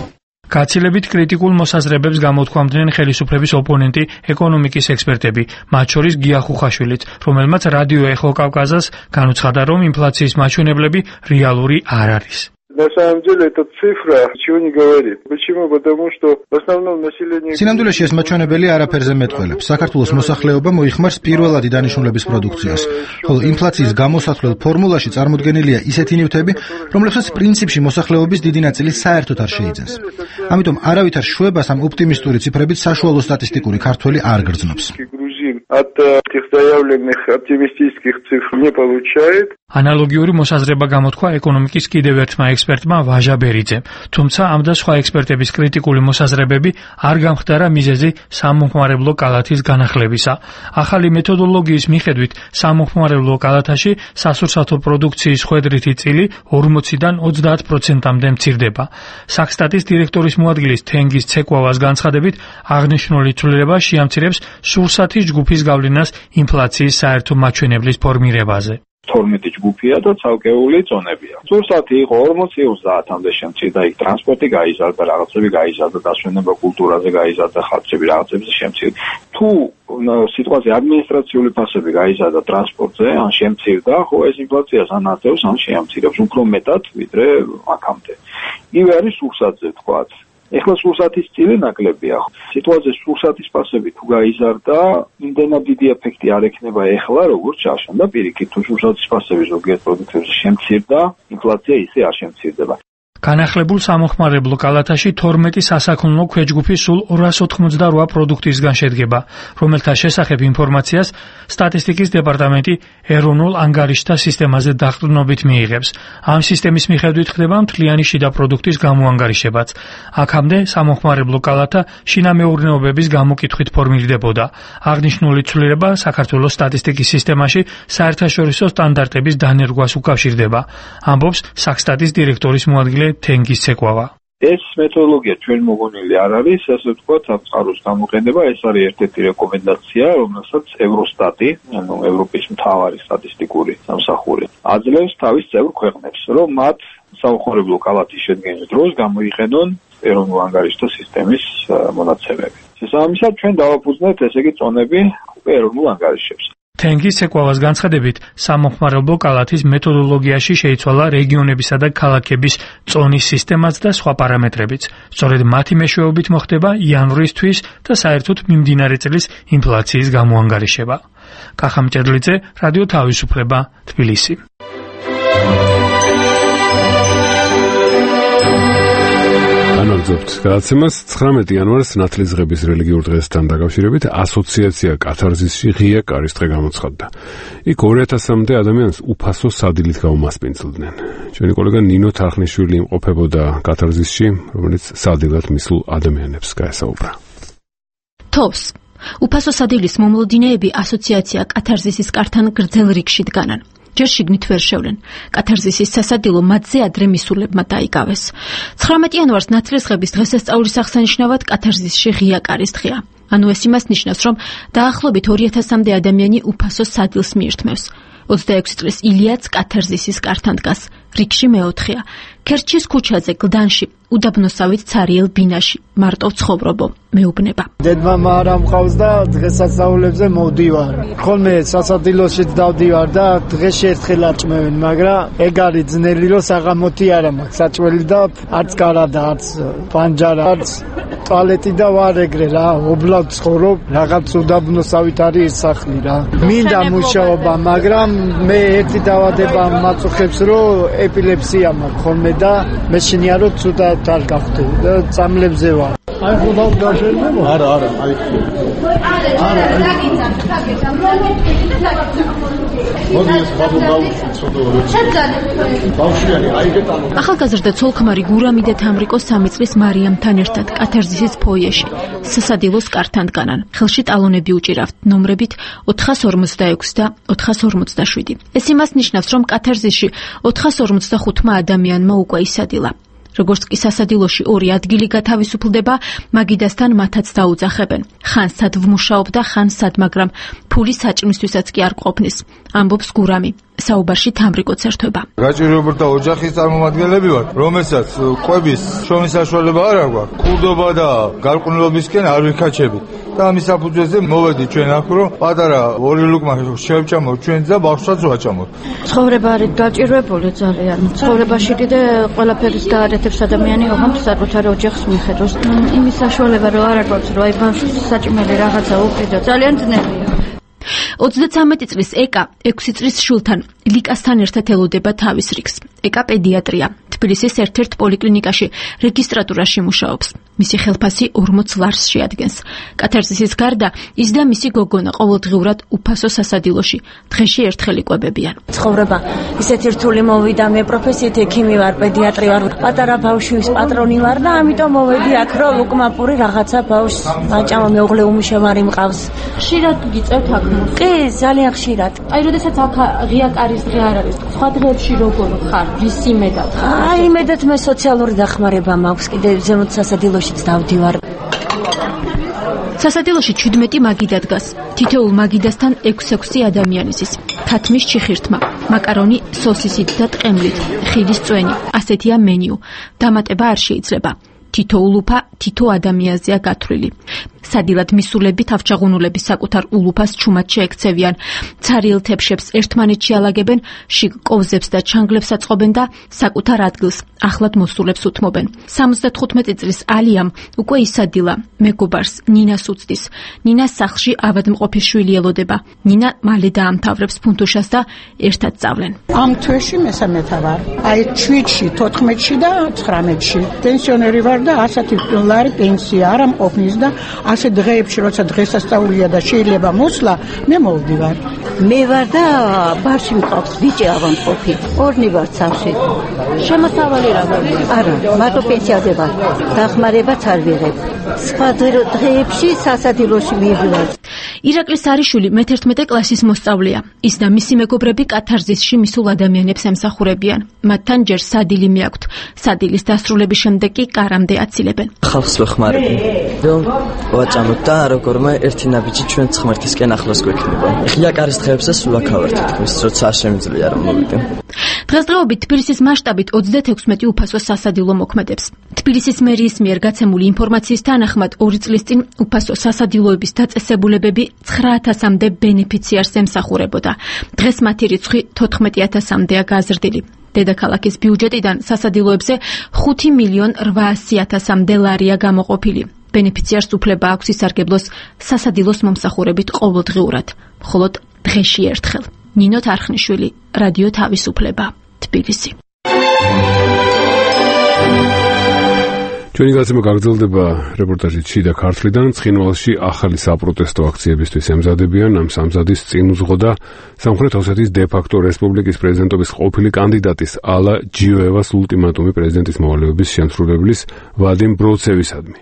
გაცილებით კრიტიკულ მოსაზრებებს გამოთქვამდნენ ხელისუფლების ოპონენტი ეკონომიკის ექსპერტები, მათ შორის გია ხუხაშვილიც, რომელმაც რადიო ეხო კავკაზას განუცხადა, რომ ინფლაციის მაჩვენებლები რეალური არ არის. На самом деле эта цифра ничего не говорит. Почему? Потому что в основном население... სინამდვილეში ეს მაჩვენებელი არაფერზე მეტყველებს. საქართველოს მოსახლეობა მოიხმარს პირველადი დანიშნულების პროდუქციას, ხოლო ინფლაციის გამოსათვლელ ფორმულაში წარმოდგენილია ისეთი ნივთები, რომლებსაც პრინციპში მოსახლეობის დიდი ნაწილი საერთოდ არ შეიძენს. ამიტომ არავითარ შვებას ამ ოპტიმისტური ციფრებით საშუალო სტატისტიკური ქართველი არ გრძნობს. От этих заявленных оптимистических цифр не получает. Аналогიური მოსაზრება გამოთქვა ეკონომიკის კიდევ ერთმა ექსპერტმა ვაჟა ბერიძემ, თუმცა ამ და სხვა ექსპერტების კრიტიკული მოსაზრებები არ გამხდარა მიზეზი სამომხმარებლო კალათის განახლებისა. ახალი მეთოდოლოგიის მიხედვით სამომხმარებლო კალათაში სასურსათო პროდუქციის ხვედრითი წილი ორმოციდან ოცდაათ პროცენტამდე მცირდება. საქსტატის დირექტორის მოადგილის თენგიზ ცეკვავას განცხადებით, აღნიშნული ცვლილება შეამცირებს სურსათის ჯგუფის გავლენას ინფლაციის საერთო მაჩვენებლის ფორმირებაზე. თორმეტი ჯგუფია და ცალკეული ზონებია. სურსათი იყო ორმოცი ოცდაათამდე შემცირდა, იქ ტრანსპორტი გაიზარდა, რაღაცები გაიზარდა, დასვენება კულტურაზე გაიზარდა, ხალხები რაღაცებზე შემცირდა. თუ სიტყვაზე ადმინისტრაციული ფასები გაიზარდა ტრანსპორტზე, ან შემცირდა, ხო ეს ინფლაციას ანაწევს, ან შეამცირებს უფრო მეტად, ვიდრე აქამდე. იგივე არის სურსათზე თქვათ. ეხლა სურსათის წილი ნაკლებია. სიტუაცია სურსათის ფასები თუ გაიზარდა, იმდენად დიდი ეფექტი არ ექნება ეხლა, როგორც ჩაშონდა პირიქით. თუ სურსათის ფასები ზოგიერთ პროდუქტებზე შემცირდა, ინფლაცია ისე არ შემცირდება. განახლებულ სამომხმარებლო კალათაში თორმეტი სასაქონლო ქვეჯგუფი სულ ორას ოთხმოცდარვა პროდუქტისგან შედგება, რომელთა შესახებ ინფორმაციას სტატისტიკის დეპარტამენტი ეროვნულ ანგარიშთა სისტემაზე დაყრდნობით მიიღებს. ამ სისტემის მიხედვით ხდება მთლიანი შიდა პროდუქტის გამოანგარიშებაც. აქამდე სამომხმარებლო კალათა შინამეურნეობების გამოკითხვით ფორმირდებოდა. აღნიშნული ცვლილება საქართველოს სტატისტიკის სისტემაში საერთაშორისო სტანდარტების დანერგვას უკავშირდება, ამბობს საქსტატის დირექტორის მოადგილე თენგიზ ცეკვავა. ეს მეთოდოლოგია ჩვენ მოგონილი არ არის, ასე ვთქვათ, სამწყაროს გამოყენება, ეს არის ერთ-ერთი რეკომენდაცია, რომელსაც ევროსტატი, ანუ ევროპის მთავარი სტატისტიკური სამსახური, აძლევს თავის წევრ ქვეყნებს, რომ მათ სამომხმარებლო კალათის შედგენის დროს გამოიყენონ ეროვნულ ანგარიშთა სისტემის მონაცემები. შესაბამისად, ჩვენ დავაფუძნებთ ესე იგი წონები ეროვნულ ანგარიშებს. თენგიზ ცეკვავას განცხადებით, სამომხმარებლო კალათის მეთოდოლოგიაში შეიცვალა რეგიონებისა და ქალაქების წონის სისტემაც და სხვა პარამეტრებიც. სწორედ მათი მეშვეობით მოხდება იანვრისთვის და საერთოდ მიმდინარე წლის ინფლაციის გამოანგარიშება. კახა მჭედლიძე, რადიო თავისუფლება, თბილისი. განაგზობთ გადაცემას ცხრამეტი იანვარს ნათლისღების რელიგიურ დღესთან დაკავშირებით ასოციაცია კათარზისში ღია კარის დღე გამოცხადდა. იქ ორი ათასამდე ადამიანს უფასო სადილით გაუმასპინძლდნენ. ჩვენი კოლეგა ნინო თარხნიშვილი იმყოფებოდა კათარზისში, რომელიც სადილად მისულ ადამიანებს გაესაუბრა. თოვს უფასო სადილის მომლოდინეები ასოციაცია კათარზისის კართან გრძელ რიგში დგანან. ჯერ შიგნით ვერ შევლენ. კათარზისის სასადილო მათზე ადრე მისულებმა დაიკავეს. ცხრამეტი იანვარს ნათლისღების დღესასწაულის აღსანიშნავად კათარზისში ღია კარის დღეა. ანუ ეს იმას ნიშნავს, რომ დაახლოებით ორი ათასამდე ადამიანი უფასო სადილს მიირთმევს. ოცდაექვსი წლის ილიაც კათარზისის კართან დგას. რიგში მეოთხეა. ქერჩის ქუჩაზე გლდანში უდაბნოსავით ცარიელ ბინაში მარტო ცხოვრობო მეუბნება. დედმამა არ ამყავს და დღესასწაულებზე მოვდივარ. ხოლმე სასადილოშიც დავდივარ და დღეში ერთხელ აჭმევენ, მაგრამ ეგ არის ძნელი, რომ საღამოთი არ მაქვს საჭველი და არც კარადა, არც პანჯარა, არც ტუალეტი და ვარ ეგრე რა, ობლად ცხოვრობ, რაღაც უდაბნოსავით არის სახლი რა. მინდა მუშაობა, მაგრამ მე ერთი დავადება მაწუხებს, რომ ეპილეფსია მაქვს ხოლმე და მე შენია რომ ცუდად არ გავხდე და წამლებზე ვარ. აი ხოდა გაშენდება? არა, არა, აი. არა, დაგიცან, დაგიცან. მოდი ეს ბაბუ გავუშვი ცოდო. ბავშვიანი, აი გეტანო. ახალგაზრდა ცოლ-ქმარი გურამი და თამრიკო სამი წლის მარიამთან ერთად კათარზისის ფოიეში სასადილოს კართან დგანან. ხელში ტალონები უჭირავთ ნომრებით ოთხას ორმოცდაექვსი და ოთხას ორმოცდაშვიდი. ეს იმას ნიშნავს, რომ კათარზისში ოთხას ორმოცდახუთმა ადამიანმა უკვე ისადილა. როგორც კი სასადილოში ორი ადგილი გათავისუფლდება, მაგიდასთან მათაც დაუძახებენ. ხან სად ვმუშაობ და ხან სად, მაგრამ ფული საჭმისთვისაც კი არ ყოფნის, ამბობს გურამი. საუბარში თამრიკოც ერთვება. გაჭირვებათა ოჯახის წარმომადგენლები ვართ, რომელსაც ყვების შრომის საშუალება არ აქვს. ქურდობა და გარყვნილობისკენ არ ვიქაჩებით. და ამის საფუძველზე მოვედი ჩვენ აქ, რომ პატარა ორი ლუკმა შევჭამოთ ჩვენ და ბავშვსაც ვაჭამოთ. ცხოვრება არის დაჭირვებული ძალიან. ცხოვრებაში კიდე ყველაფერს გაარეთებს ადამიანი, ოღონდ საკუთარ ოჯახს მიხედავს. იმის საშუალება რომ არ აქვს, რომ აი ბავშვს საჭმელი რაღაცა უყიდო, ძალიან ძნელია. ოცდაცამეტი წლის ეკა ექვსი წლის შულთან ლიკასთან ერთად ელოდება თავის რიგს. ეკა პედიატრია. თბილისის ერთ-ერთ პოლიკლინიკაში რეგისტრატურაში მუშაობს. მისი ხელფასი ორმოც ლარს შეადგენს. კათარზისის გარდა ის და მისი გოგონა ყოველდღიურად უფასო სასადილოში დღეში ერთხელ იკვებებიან. ცხოვრება ისეთი რთული მოვიდა, მე პროფესიით ექიმი ვარ, პედიატრი ვარ, პატარა ბავშვის პატრონი ვარ და ამიტომ მოვედი აქ, რომ ლუკმაპური რაღაცა ბავშვს აჭამა, მეუღლე უმუშევარი მყავს. ხშირად გიწევთ აქ? კი, ძალიან ხშირად. აი, როდესაც აქ ღია კარის დღე არ არის, სხვა დღეებში როგორ ხარ? ვის იმედად? აი, იმედად მე სოციალური დახმარება მაქვს, კიდე ზემოთ სასადილოშიც დავდივარ. სასადილოში ჩვიდმეტი მაგიდა დგას. თითოეულ მაგიდასთან ექვსი-ექვსი ადამიანისის. თათმის ჩიხირთმა, მაკარონი სოსისით და ტყემლით, ხილის წვენი. ასეთია მენიუ. დამატება არ შეიძლება. თითო ულუფა თითო ადამიანზეა გათვლილი. სადილად მისულები თავჩაღუნულების საკუთარ ულუფას ჩუმად შეექცევიან. ცარიელ თებშებს ერთმანეთში ალაგებენ, შიგ კოვზებს და ჩანგლებს აწყობენ და საკუთარ ადგილს ახლად მოსულებს უთმობენ. სამოცდათხუთმეტი წლის ალიამ უკვე ისადილა მეგობარს ნინას უცდის. ნინას სახლში ავადმყოფის შვილი ელოდება. ნინა მალე დაამთავრებს ფუნთუშას და ერთად წავლენ. ამ თვეში მესამეთა ვარ. აი შვიდში, თოთხმეტში და ცხრამეტში. პენსიონერი ვარ და ასეთი ლარი პენსია არ ამყოფნის და ასე დღეებში, როცა დღესასწაულია და შეიძლება მოსვლა, მე მოვდივარ. მე ვარ და ბარში მყავს ბიჭი ავადმყოფი. ორნი ვარ სახლში. შემოსავალი რა გაქვს? არა, მარტო პენსიაზე ვარ. დახმარებაც არ ვიღებ. სხვა დღეებში სასადილოში მივდივარ. ირაკლი სარიშვილი მეთერთმეტე კლასის მოსწავლეა. ის და მისი მეგობრები კათარზისში მისულ ადამიანებს ემსახურებიან. მათთან ჯერ სადილი მიაქვთ. სადილის დასრულების შემდეგ კი კარამდე აცილებენ. ხალხს ვეხმარები, რომ ვაჭამოთ და როგორმე ერთი ნაბიჯი ჩვენ ცხმერთისკენ ახლოს გვექნება. ღია კარის დღეებსაც სულ აქავართ თქმის, როცა არ შემიძლია რომ მოვიდე. დღესდღეობით თბილისის მასშტაბით ოცდაათექვსმეტი უფასო სასადილო მოქმედებს. თბილისის მერიის მიერ გაცემული ინფორმაციის თანახმად ორი წლის წინ უფასო სასადილოების დაწესებულებები ცხრა ათასამდე ბენეფიციარს ემსახურებოდა. დღეს მათი რიცხვი თოთხმეტი ათასამდეა გაზრდილი. დედაქალაქის ბიუჯეტიდან სასადილოებზე ხუთი მილიონ რვაასი ათასამდე ლარია გამოყოფილი. ბენეფიციარს უფლება აქვს ისარგებლოს სასადილოს მომსახურებით ყოველდღიურად, მხოლოდ დღეში ერთხელ. ნინო თარხნიშვილი, რადიო თავისუფლება, თბილისი. ჩვენი გაცემა გაგრძელდება რეპორტაჟით შიდა ქართლიდან. ცხინვალში ახალი საპროტესტო აქციებისთვის ემზადებიან. ამ სამზადის წინ უძღოდა სამხრეთ ოსეთის დე-ფაქტო რესპუბლიკის პრეზიდენტობის ყოფილი კანდიდატის ალა ჯიოევას ულტიმატუმი პრეზიდენტის მოვალეობის შემსრულებლის ვადიმ ბროცევისადმი.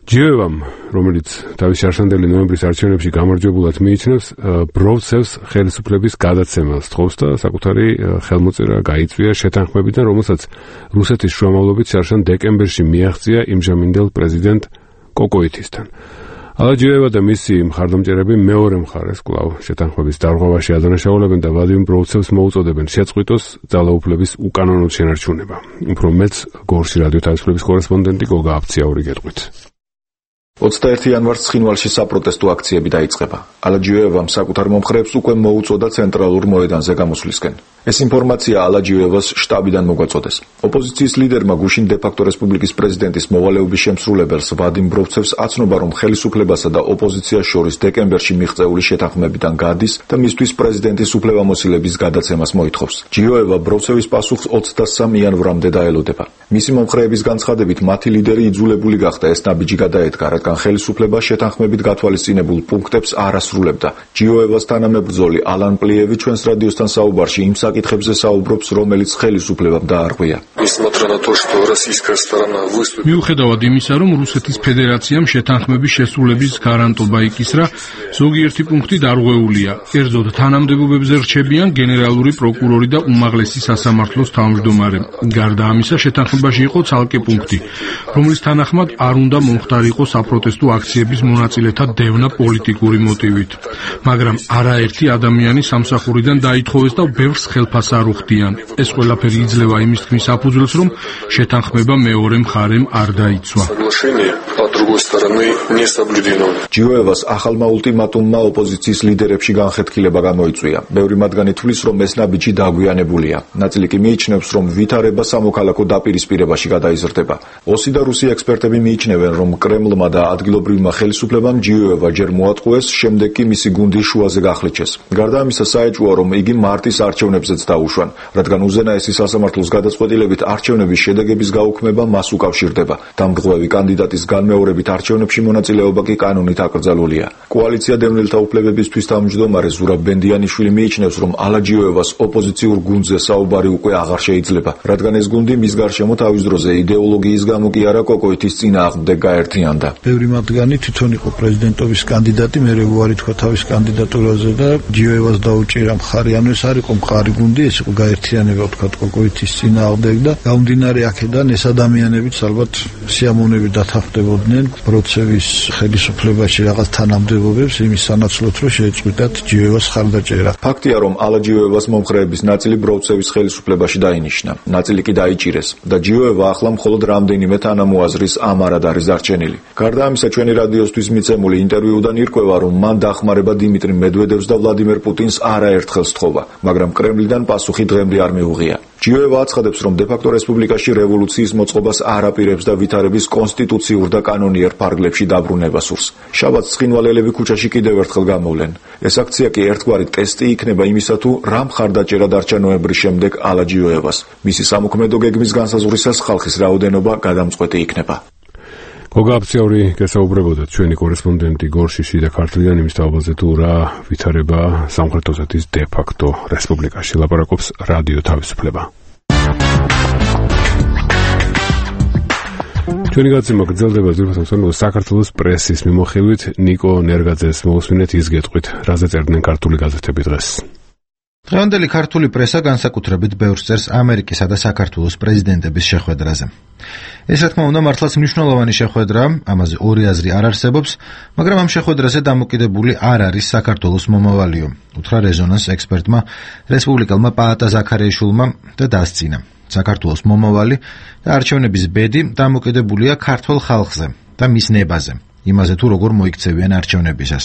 ჯიოევამ, რომელიც თავის შარშანდელი ნოემბრის არჩევნებში გამარჯვებულად მიიჩნევს, ბროცევს ხელისუფლების გადაცემას თხოვს და საკუთარი ხელმოწერა გაიწვია შეთანხმებიდან, რომელსაც რუსეთის შუამავლობით შარშან დეკემბერში მიაღწია იმჟამინდელ პრეზიდენტ კოკოითისთან. ალაჯიოევა და მისი მხარდამჭერები მეორე მხარეს კვლავ შეთანხმების დარღვევაში ადანაშაულებენ და ვლადიმერ ბროუცევს მოუწოდებენ შეწყვიტოს ძალაუფლების უკანონო შენარჩუნება. უფრო მეც გორში რადიო თავისუფლების კორესპონდენტი გოგა აფციაური გეტყვით. ოცდაერთი იანვარს ცხინვალში საპროტესტო აქციები დაიწყება. ალაჯიოევამ საკუთარ მომხრეებს უკვე მოუწოდა ცენტრალურ მოედანზე გამოსვლისკენ. ეს ინფორმაცია ალაჯიოევას შტაბიდან მოგვაწოდეს. ოპოზიციის ლიდერმა გუშინ დე-ფაქტო რესპუბლიკის პრეზიდენტის მოვალეობის შემსრულებელს ვლადიმერ ბროუცევს აცნობა, რომ ხელისუფლებასა და ოპოზიციას შორის დეკემბერში მიღწეული შეთანხმებიდან გადის და მისთვის პრეზიდენტის უფლებამოსილების გადაცემას მოითხოვს. ჯიოევა ბროუცევის პასუხს ოცდასამი იანვრამდე დაელოდება. მისი მომხრეების განცხადებით, მათი ლიდერი იძულებული გახდა ეს ნაბიჯი გადაედგა, რადგან ხელისუფლება შეთანხმებით გათვალისწინებულ პუნქტებს არ ასრულებდა. ჯიოევას თანამებრძოლი ალან პლიევი ჩვენს რადიოსთან საუბარში იმ საკითხებზე საუბრობს, რომელიც ხელისუფლებამ დაარღვია. მიუხედავად იმისა, რომ რუსეთის ფედერაციამ შეთანხმების შესრულების გარანტობა იკისრა, ზოგიერთი პუნქტი დარღვეულია. კერძოდ, თანამდებობებზე რჩებიან გენერალური პროკურორი და უმაღლესი სასამართლოს თავმჯდომარე. გარდა ამისა, შეთანხმებაში იყო ცალკე პუნქტი, რომლის თანახმად არ უნდა მომხდარიყო საპროტესტო აქციების მონაწილეთა დევნა პოლიტიკური მოტივით. მაგრამ არაერთი ადამიანი სამსახურიდან დაითხოვეს და ბევრს ხელფას არ უხდიან. ეს ყველაფერი იძლევა იმის თქმის საფუძველს, რომ შეთანხმება მეორე მხარემ არ დაიცვა. ჯიოევას ახალმა ულტიმატუმმა ოპოზიციის ლიდერებში განხეთქილება გამოიწვია. ბევრი მათგანი თვლის, რომ ეს ნაბიჯი დაგვიანებულია. ნაწილი კი მიიჩნევს, რომ ვითარება სამოქალაქო დაპირისპირებაში გადაიზრდება. ოსი და რუსი ექსპერტები მიიჩნევენ, რომ კრემლმა და ადგილობრივმა ხელისუფლებამ ჯიოევა ჯერ მოატყუეს, შემდეგ კი მისი გუნდი შუაზე გახლიჩეს. გარდა ამისა, საეჭვოა, რომ იგი მარტის არჩევნებზეც დაუშვან, რადგან უზენაესი სასამართლოს გადაწყვეტილებით არჩევნების შედეგების გაუქმება მას უკავშირდება. დამრღვევი კანდიდატის განმეორებით არჩევნებში მონაწილეობა კი კანონით აკრძალულია. კოალიცია დევნილთა უფლებებისთვის თავმჯდომარე ზურაბ ბენდიანიშვილი მიიჩნევს, რომ ალაჯიოევას ოპოზიციურ გუნდზე საუბარი უკვე აღარ შეიძლება, რადგან ეს გუნდი მის გარშემო თავის დროზე იდეოლოგიის გამო კი არა კოკოითის წინააღმდეგ გაერთიანდა. ბევრი მათგანი თვითონ იყო პრეზიდენტობის კანდიდატი, მერე უარი თქვა თავის კანდიდატურაზე და ჯიოევას დაუჭირა მხარი. ანუ ეს არ იყო მხარი გუნდი, ეს იყო გაერთიანება თქვა კოკოითის წინააღმდეგ და გამომდინარე აქედან ეს ადამიანებიც ალბათ სიამოვნებით დათანხმდებოდნენ ბროუცევის ხელისუფლებაში რაღაც თანამდებობებს იმის სანაცვლოდ, რომ შეეწყვიტათ ჯიოევას ხარდაჭერა. ფაქტია, რომ ალაჯიოევას მომხრეების ნაწილი ბროუცევის ხელისუფლებაში დაინიშნა, ნაწილი კი დაიჭირეს და ჯიოევა ახლა მხოლოდ რამდენიმე თანამოაზრის ამარად არის დარჩენილი. გარდა ამისა, ჩვენი რადიოსთვის მიცემული ინტერვიუდან ირკვევა, რომ მან დახმარება დიმიტრი მედვედევს და ვლადიმერ პუტინს არაერთხელ სთხოვა, მაგრამ კრემლიდან პასუხი დღემდე არ მიუღია. ჯიოევა აცხადებს, რომ დე-ფაქტო რესპუბლიკაში რევოლუციის მოწყობას არ აპირებს და ვითარების კონსტიტუციურ და კანონიერ ფარგლებში დაბრუნება სურს. შაბათს ცხინვალელები ქუჩაში კიდევ ერთხელ გამოვლენ. ეს აქცია კი ერთგვარი ტესტი იქნება იმისა, თუ რა მხარდაჭერა დარჩა ნოემბრის შემდეგ ალაჯიოევას. მისი სამოქმედო გეგმის განსაზღვრისას ხალხის რაოდენობა გადამწყვეტი იქნება. გოგა აფციაური გესაუბრებოდა ჩვენი კორესპონდენტი გორში შიდა ქართლიდან იმის თაობაზე, თუ რა ვითარება სამხრეთ ოსეთის დე-ფაქტო რესპუბლიკაში. ლაპარაკობს რადიო თავისუფლება. ჩვენი გაცემა გრძელდება ძირითადად საქართველოს პრესის მიმოხილვით. ნიკო ნერგაძეს მოусმინეთ ის გეტყვით, რაზე წერდნენ ქართული გაზეთები დღეს. დღევანდელი ქართული პრესა განსაკუთრებით ბევრს წერს ამერიკისა და საქართველოს პრეზიდენტების შეხვედრაზე. ეს რა თქმა უნდა მართლაც მნიშვნელოვანი შეხვედრაა, ამაზე ორი აზრი არ არსებობს, მაგრამ ამ შეხვედრაზე დამოკიდებული არ არის საქართველოს მომავალიო, უთხრა რეზონანს ექსპერტმა რესპუბლიკელმა პაატა ზაქარიაშვილმა და დასწინა. საქართველოს მომავალი და არჩევნების ბედი დამოკიდებულია ქართულ ხალხზე და მის ნებაზე. იმაზე თუ როგორ მოიქცევიან არჩევნებისას.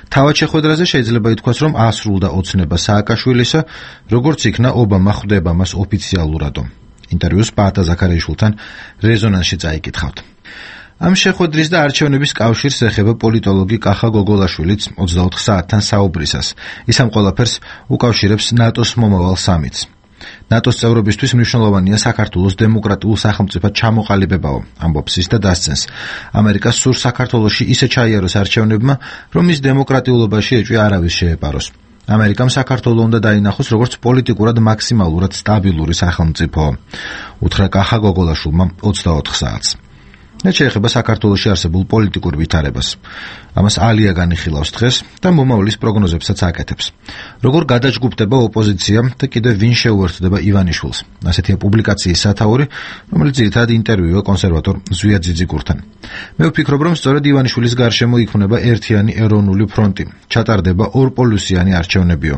თავად შეხვედრაზე შეიძლება ითქვას, რომ ასრულდა ოცნება სააკაშვილისა, როგორც იქნა ობამა ხვდება მას ოფიციალურადო. ინტერვიუს პაატა ზაქარიაშვილთან რეზონანსში წაიკითხავთ. ამ შეხვედრის და არჩევნების კავშირს ეხება პოლიტოლოგი კახა გოგოლაშვილიც ოცდაოთხ საათთან საუბრისას. ის ამ ყველაფერს უკავშირებს ნატოს მომავალ სამიტს. ნატოს წევრობისთვის მნიშვნელოვანია საქართველოს დემოკრატიულ სახელმწიფოდ ჩამოყალიბებაო, ამბობს ის და დასცენს. ამერიკას სურს საქართველოში ისე ჩაიაროს არჩევნებმა, რომ ის დემოკრატიულობაში ეჭვი არავის შეეპაროს. ამერიკამ საქართველოს უნდა დაინახოს როგორც პოლიტიკურად მაქსიმალურად სტაბილური სახელმწიფო. უთხრა კახა გოგოლაშვილმა ოცდაოთხ საათს. რაც შეეხება საქართველოში არსებულ პოლიტიკურ ვითარებას. ამას ალია განიხილავს დღეს და მომავლის პროგნოზებსაც აკეთებს. როგორ გადაჯგუფდება ოპოზიცია და კიდევ ვინ შეუერთდება ივანიშვილს. ასეთია პუბლიკაციის სათაური, რომელიც ძირითადად ინტერვიუა კონსერვატორ ზვია ძიძიგურთან. მე ვფიქრობ, რომ სწორედ ივანიშვილის გარშემო იქმნება ერთიანი ეროვნული ფრონტი, ჩატარდება ორპოლუსიანი არჩევნებიო.